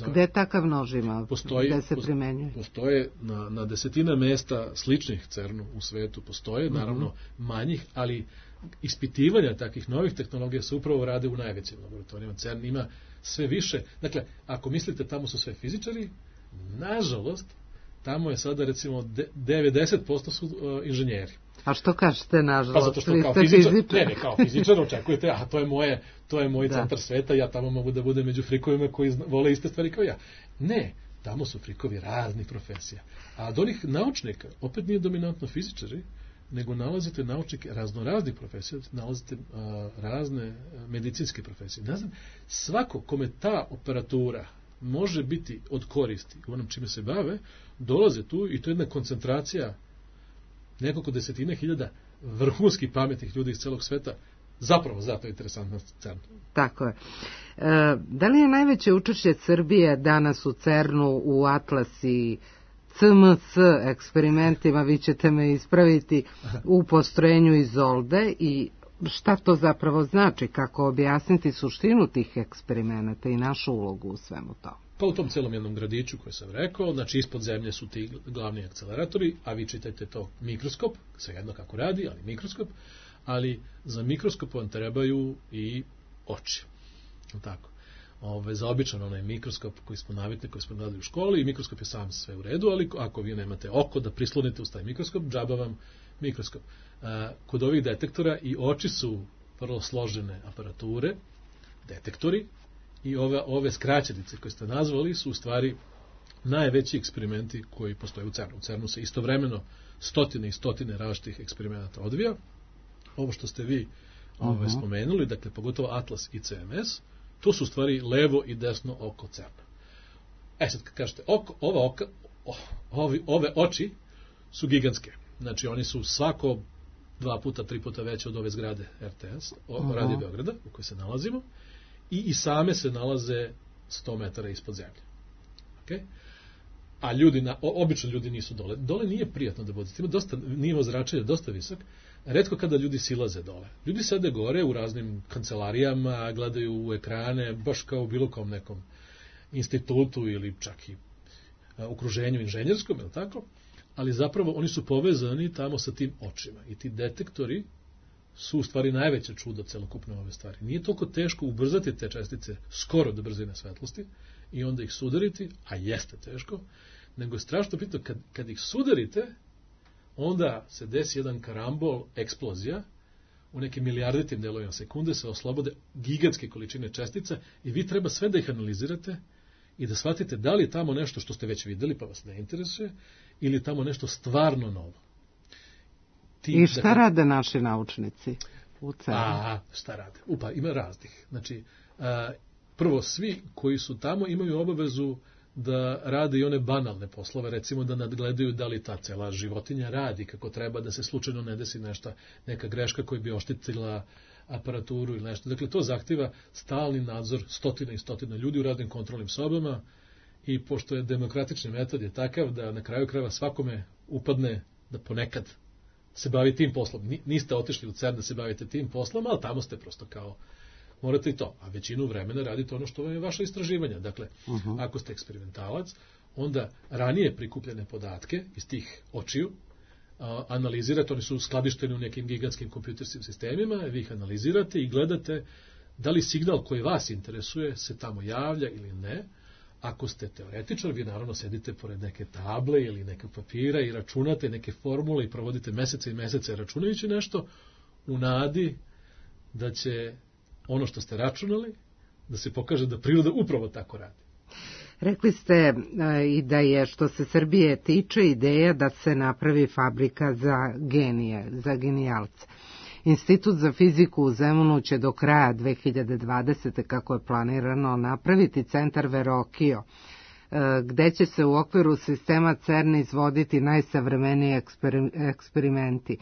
Gde takav nož ima? Gde se primenjuje? Postoje na desetina mesta sličnih CERN-u u svetu. Postoje, naravno, manjih, ali ispitivanja takvih novih tehnologija se upravo rade u najvećim laboratorijama. CERN ima sve više. Dakle, ako mislite tamo su sve fizičari, nažalost, tamo je sada recimo 90% su inženjeri. A što kažete nažalost? Pa zato što kao fizičar očekujete, to je moj centar sveta, ja tamo mogu da budem među frikovima koji vole iste stvari kao ja. Ne, tamo su frikovi raznih profesija. A od onih naučnika, opet nije dominantno fizičari, nego nalazite naučnike raznoraznih profesija, nalazite razne medicinske profesije. Ne znam, svako kome ta operatura može biti od koristi u onom čime se bave, dolaze tu i to je jedna koncentracija nekoliko desetina hiljada vrhunskih pametnih ljudi iz celog sveta, zapravo zato je interesantna CERN. Tako je. Da li je najveće učešće Srbije danas u CERN-u u Atlas i CMC eksperimentima, vi ćete me ispraviti, u postrojenju Izolde i šta to zapravo znači, kako objasniti suštinu tih eksperimenta i našu ulogu u svemu to? Pa u tom celom jednom gradiću koje sam rekao, znači ispod zemlje su ti glavni akceleratori, a vi čitajte to mikroskop, svejedno kako radi, ali mikroskop, ali za mikroskop vam trebaju i oči. Tako. Za običan onaj mikroskop koji smo navikli, koji smo gledali u školi, i mikroskop je sam sve u redu, ali ako vi nemate oko da prislonite uz taj mikroskop, džaba vam mikroskop. Kod ovih detektora i oči su vrlo složene aparature, detektori, i ove skraćenice koje ste nazvali su u stvari najveći eksperimenti koji postoje u CERN-u. U CERN-u se istovremeno stotine i stotine različitih eksperimenata odvija. Ovo što ste vi spomenuli, dakle pogotovo Atlas i CMS, to su u stvari levo i desno oko CERN-a. Sad kad kažete ove oči su gigantske. Znači oni su svako 2 puta, 3 puta veće od ove zgrade RTS, Radio Beograda u kojoj se nalazimo, i same se nalaze 100 metara ispod zemlje. Okay? A obično ljudi nisu dole. Dole nije prijatno da budete. Ima nivo zračenja dosta visok. Retko kada ljudi silaze dole. Ljudi sede gore u raznim kancelarijama, gledaju u ekrane, baš kao u bilo kom nekom institutu ili čak i okruženju inženjerskom, ili tako? Ali zapravo oni su povezani tamo sa tim očima. I ti detektori su u stvari najveće čudo celokupne ove stvari. Nije toliko teško ubrzati te čestice skoro do brzine svetlosti i onda ih sudariti, a jeste teško, nego je strašno bitno kad ih sudarite, onda se desi jedan karambol, eksplozija, u nekim milijarditim delovima sekunde se oslobode gigantske količine čestica i vi treba sve da ih analizirate i da shvatite da li je tamo nešto što ste već videli pa vas ne interesuje ili je tamo nešto stvarno novo. I šta rade naši naučnici? u CERN-u? Šta rade? Ima raznih. Znači, prvo, svi koji su tamo imaju obavezu da rade i one banalne poslove, recimo da nadgledaju da li ta cela životinja radi kako treba, da se slučajno ne desi neka greška koja bi oštetila aparaturu ili nešto. Dakle, to zahtjeva stalni nadzor stotina i stotina ljudi u raznim kontrolnim sobama i pošto je demokratični metod je takav da na kraju krajeva svakome upadne da ponekad se bavi tim poslom. Niste otišli u CERN da se bavite tim poslom, ali tamo ste prosto kao morate i to, a većinu vremena radite ono što je vaše istraživanja. Dakle, ako ste eksperimentalac, onda ranije prikupljene podatke iz tih očiju analizirate, oni su skladišteni u nekim gigantskim kompjuterskim sistemima, vi ih analizirate i gledate da li signal koji vas interesuje se tamo javlja ili ne. Ako ste teoretičar, vi naravno sedite pored neke table ili nekog papira i računate neke formule i provodite mesece i mesece računajući nešto u nadi da će ono što ste računali, da se pokaže da priroda upravo tako radi. Rekli ste i da je, što se Srbije tiče, ideja da se napravi fabrika za genije, za genijalce. Institut za fiziku u Zemunu će do kraja 2020. kako je planirano napraviti centar Verokio, gde će se u okviru sistema CERN izvoditi najsavremeniji eksperimenti.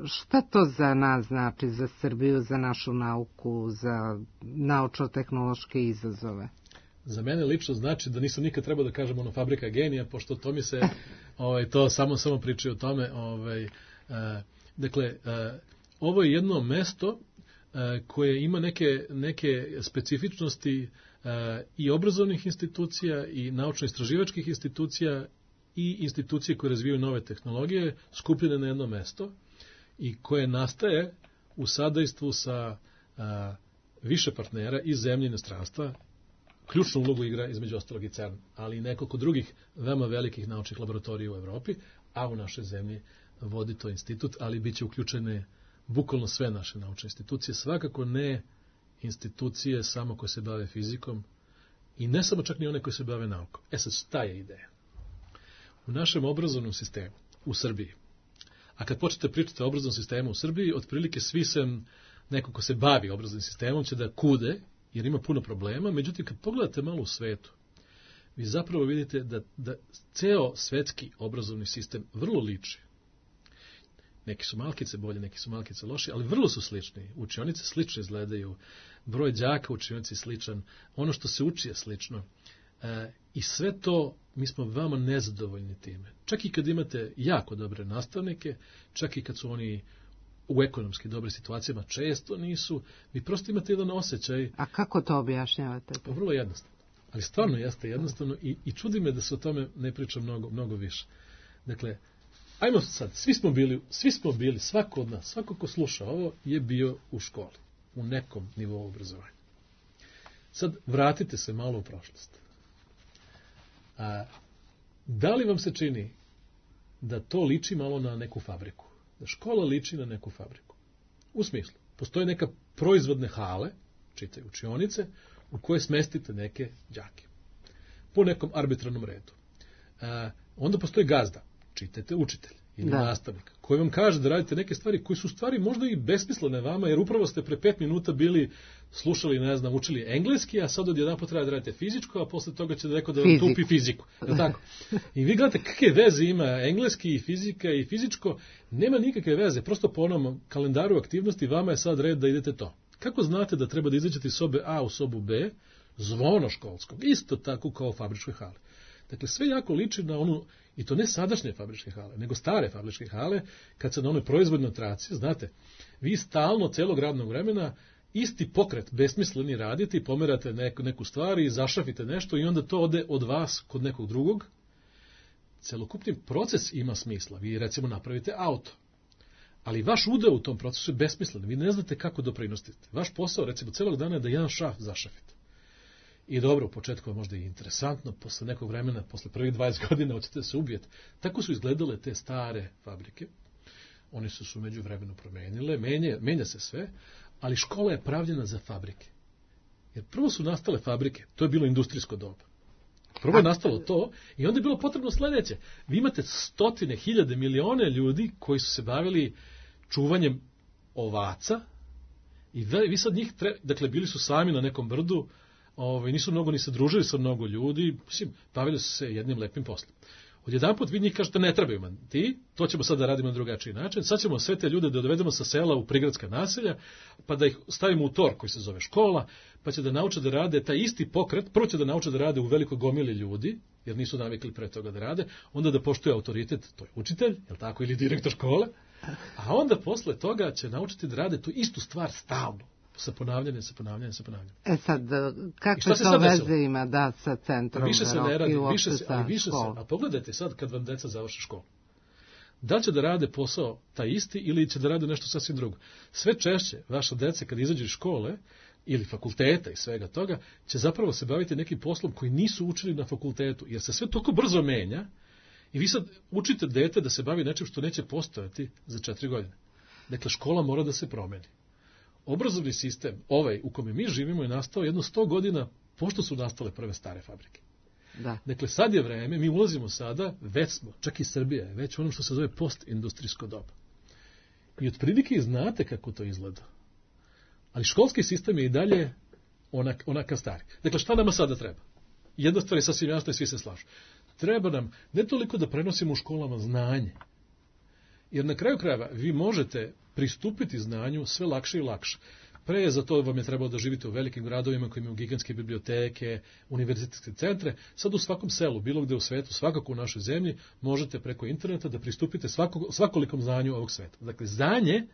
Šta to za nas znači, za Srbiju, za našu nauku, za naučno-tehnološke izazove? Za mene lično znači da nisam nikad trebao da kažem ono fabrika genija, pošto to mi se to samo pričaju o tome. Dakle, ovo je jedno mesto koje ima neke specifičnosti i obrazovnih institucija i naučno-istraživačkih institucija i institucije koje razvijaju nove tehnologije skupljene na jedno mesto i koje nastaje u sadejstvu sa više partnera iz zemlje i inostranstva. Ključnu ulogu igra između ostalog i CERN, ali i nekoliko drugih veoma velikih naučnih laboratorija u Evropi, a u našoj zemlji vodi to institut, ali bit će uključene bukvalno sve naše naučne institucije, svakako ne institucije samo koje se bave fizikom i ne samo čak ni one koje se bave naukom. Sad, šta je ideja? U našem obrazovnom sistemu u Srbiji, a kad počnete pričati o obrazovnom sistemu u Srbiji, otprilike svi neko ko se bavi obrazovnim sistemom će da kude, jer ima puno problema, međutim kad pogledate malo u svetu, vi zapravo vidite da ceo svetski obrazovni sistem vrlo liči. Neki su malkice bolje, neki su malkice loši, ali vrlo su slični. Učionice slično izgledaju, broj đaka u učionici je sličan, ono što se uči je slično. I sve to, mi smo veoma nezadovoljni time. Čak i kad imate jako dobre nastavnike, čak i kad su oni u ekonomski dobre situacijama, često nisu, vi prosto imate jedan osjećaj. A kako to objašnjavate? Vrlo jednostavno. Ali stvarno jeste jednostavno i čudi me da se o tome ne priča mnogo više. Dakle, ajmo sad, svi smo bili, svako od nas, svako ko sluša ovo je bio u školi, u nekom nivou obrazovanja. Sad vratite se malo u prošlost. Da li vam se čini da to liči malo na neku fabriku? Da škola liči na neku fabriku? U smislu, postoje neka proizvodne hale, čitaj učionice, u koje smestite neke đake. Po nekom arbitrarnom redu. Onda postoji gazda, čitajte učitelj ili nastavnik, koji vam kaže da radite neke stvari koje su stvari možda i besmislene vama, jer upravo ste pre 5 minuta bili slušali, učili engleski, a sad odjedanput treba da radite fizičko, a posle toga će neko da vam tupi fiziku. Je tako? I vi gledate kakve veze ima engleski i fizika i fizičko, nema nikakve veze, prosto po onom kalendaru aktivnosti vama je sad red da idete to. Kako znate da treba da izađete iz sobe A u sobu B, zvono školskog, isto tako kao u fabričkoj hali. Dakle, sve jako liči na onu, i to ne sadašnje fabričke hale, nego stare fabričke hale, kad se na onoj proizvodnoj traci, znate, vi stalno celog radnog vremena isti pokret besmisleni radite i pomerate neku stvar i zašafite nešto i onda to ode od vas kod nekog drugog. Celokupni proces ima smisla. Vi recimo napravite auto, ali vaš udeo u tom procesu je besmislen. Vi ne znate kako doprinosite. Vaš posao recimo celog dana je da jedan šaf zašafite. I dobro, u početku je možda i interesantno, posle nekog vremena, posle prvih 20 godina hoćete se ubijeti. Tako su izgledale te stare fabrike. One su se umeđu vremenu promenile, menja se sve, ali škola je pravljena za fabrike. Jer prvo su nastale fabrike, to je bilo industrijsko doba. Prvo je nastalo to i onda je bilo potrebno sledeće. Vi imate stotine, hiljade, milione ljudi koji su se bavili čuvanjem ovaca i vi sad njih, dakle, bili su sami na nekom brdu, nisu mnogo ni se družili sa mnogo ljudi, mislim, bavili su se jednim lepim poslom. Odjedanput vi njih kažete ne trebaju man ti, to ćemo sad da radimo na drugačiji način, sad ćemo sve te ljude da dovedemo sa sela u prigradska naselja, pa da ih stavimo u tor koji se zove škola, pa će da nauče da rade taj isti pokret, prvo će da nauče da rade u velikoj gomili ljudi, jer nisu navikli pre toga da rade, onda da poštuje autoritet, to je učitelj, jel tako, ili direktor škole, a onda posle toga će naučiti da rade tu istu stvar stalno. Sa ponavljanjem. Sad, kakve to veze ima sa centrom? Više se ne radi, više se. A pogledajte sad kad vam deca završe školu. Da će da rade posao taj isti ili će da rade nešto sasvim drugo. Sve češće vaša deca kad izađu iz škole ili fakulteta i svega toga će zapravo se baviti nekim poslom koji nisu učili na fakultetu, jer se sve toliko brzo menja i vi sad učite dete da se bavi nečim što neće postojati za 4 godine. Dakle, škola mora da se promeni. Obrazovni sistem, u kome mi živimo, je nastao jedno 100 godina pošto su nastale prve stare fabrike. Da. Dakle, sad je vreme, mi ulazimo sada, već smo, čak i Srbija je već u onom što se zove postindustrijsko doba. I otprilike znate kako to izgleda. Ali školski sistem je i dalje onakav stari. Dakle, šta nama sada treba? Jedna stvar je sasvim jasna i svi se slažu. Treba nam ne toliko da prenosimo u školama znanje, jer na kraju krajeva vi možete pristupiti znanju sve lakše i lakše. Pre za to vam je trebalo da živite u velikim gradovima koji imaju gigantske biblioteke, univerzitetske centre. Sad u svakom selu, bilo gde u svetu, svakako u našoj zemlji, možete preko interneta da pristupite svakolikom znanju ovog sveta. Dakle, znanje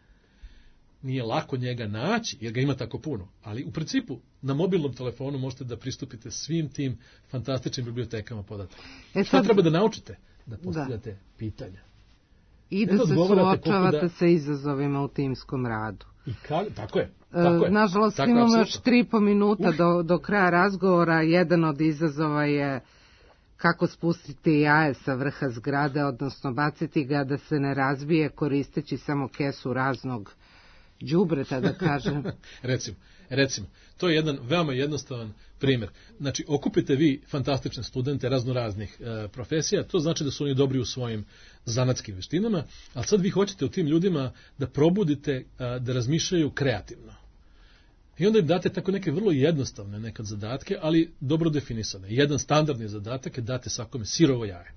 nije lako njega naći, jer ga ima tako puno, ali u principu na mobilnom telefonu možete da pristupite svim tim fantastičnim bibliotekama podataka. Šta treba da naučite? Da postavljate pitanja. I da se suočavate sa izazovima u timskom radu. Tako je. Nažalost, imamo još 3,5 minuta do kraja razgovora. Jedan od izazova je kako spustiti jaje sa vrha zgrade, odnosno baciti ga da se ne razbije koristeći samo kesu raznog đubreta, da kažem. Recimo, to je jedan veoma jednostavan primjer. Znači, okupite vi fantastične studente raznoraznih profesija, to znači da su oni dobri u svojim zanatskim veštinama, ali sad vi hoćete u tim ljudima da probudite da razmišljaju kreativno. I onda im date tako neke vrlo jednostavne nekad zadatke, ali dobro definisane. Jedan standardni zadatak je date svakome sirovo jaje.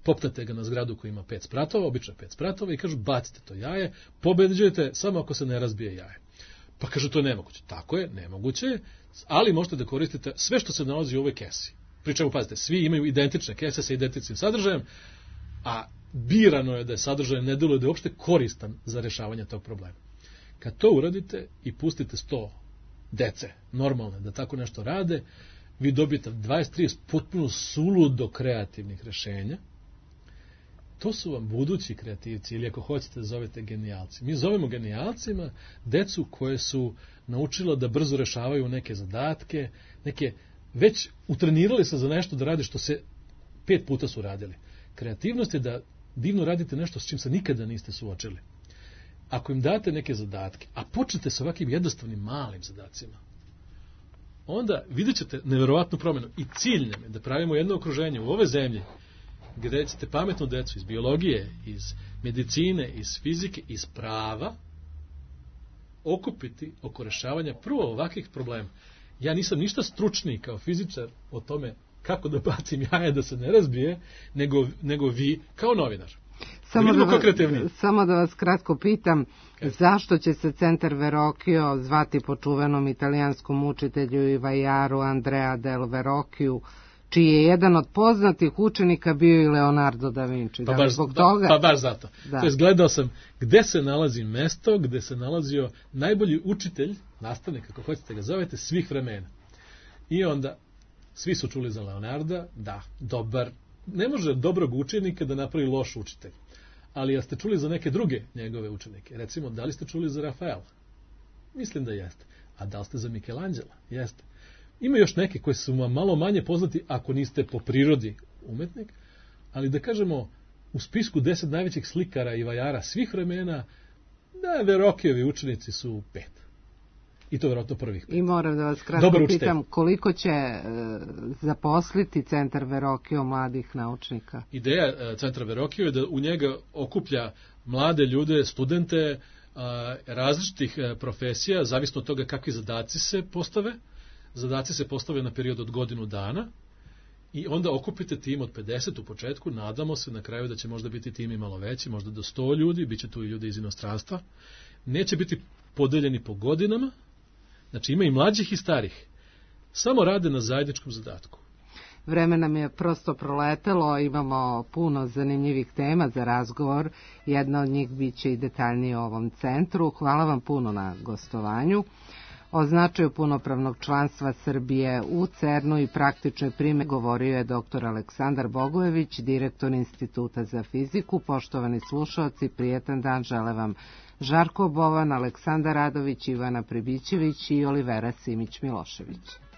Popnete ga na zgradu koja ima 5 spratova, obično 5 spratova, i kažu bacite to jaje, pobeđujete samo ako se ne razbije jaje. Pa kažu to je nemoguće. Tako je, nemoguće je, ali možete da koristite sve što se nalazi u ovoj kesi. Pričemu, pazite, svi imaju identične kese sa identičnim sadržajem, a birano je da je sadržaj ne deluje da je uopšte koristan za rešavanje tog problema. Kad to uradite i pustite 100 dece, normalne, da tako nešto rade, vi dobijete 20-30 potpuno suludo kreativnih rešenja. To su vam budući kreativci, ili ako hoćete da zovete genijalci. Mi zovemo genijalcima decu koje su naučila da brzo rešavaju neke zadatke, već utrenirali se za nešto da rade što se 5 puta su radili. Kreativnost je da divno radite nešto s čim se nikada niste suočili. Ako im date neke zadatke, a počnete sa ovakvim jednostavnim malim zadacima, onda vidjet ćete neverovatnu promjenu. I cilj nam je da pravimo jedno okruženje u ove zemlji gdje ćete pametnu decu iz biologije, iz medicine, iz fizike, iz prava okupiti oko rešavanja prvo ovakvih problema. Ja nisam ništa stručniji kao fizičar o tome kako da bacim jaje da se ne razbije, nego vi kao novinar. Samo da vas kratko pitam, zašto će se centar Verrocchio zvati po čuvenom italijanskom učitelju i vajaru Andrea del Verrocchiju, čiji je jedan od poznatih učenika bio i Leonardo da Vinci. Pa baš zato. Da. To je, gledao sam gde se nalazi mesto, gde se nalazio najbolji učitelj, nastavnik, kako hoćete ga zovete, svih vremena. I onda, svi su čuli za Leonarda, da, dobar, ne može dobrog učenika da napravi loš učitelj. Ali jeste čuli za neke druge njegove učenike? Recimo, da li ste čuli za Rafaela? Mislim da jeste. A da li ste za Michelangela? Jeste. Ima još neke koji su vam malo manje poznati ako niste po prirodi umetnik, ali da kažemo u spisku 10 najvećih slikara i vajara svih vremena, da, Verrocchiovi učenici su 5. I to vjerojatno prvih 5. I moram da vas kratko pitam, koliko će zaposliti centar Verrocchio mladih naučnika? Ideja centra Verrocchio je da u njega okuplja mlade ljude, studente, različitih profesija, zavisno od toga kakvi zadaci se postave. Zadaci se postave na period od godinu dana i onda okupite tim od 50 u početku, nadamo se na kraju da će možda biti tim i malo veći, možda do 100 ljudi, bit će tu i ljudi iz inostranstva. Neće biti podeljeni po godinama, znači ima i mlađih i starih. Samo rade na zajedničkom zadatku. Vreme nam je prosto proletelo, imamo puno zanimljivih tema za razgovor. Jedna od njih biće i detaljnije o ovom centru. Hvala vam puno na gostovanju. O značaju punopravnog članstva Srbije u CERN-u i praktičnoj primjeni govorio je dr. Aleksandar Bogojević, direktor Instituta za fiziku. Poštovani slušaoci, prijetan dan žele vam Žarko Bovan, Aleksandar Radović, Ivana Pribićević i Olivera Simić-Milošević.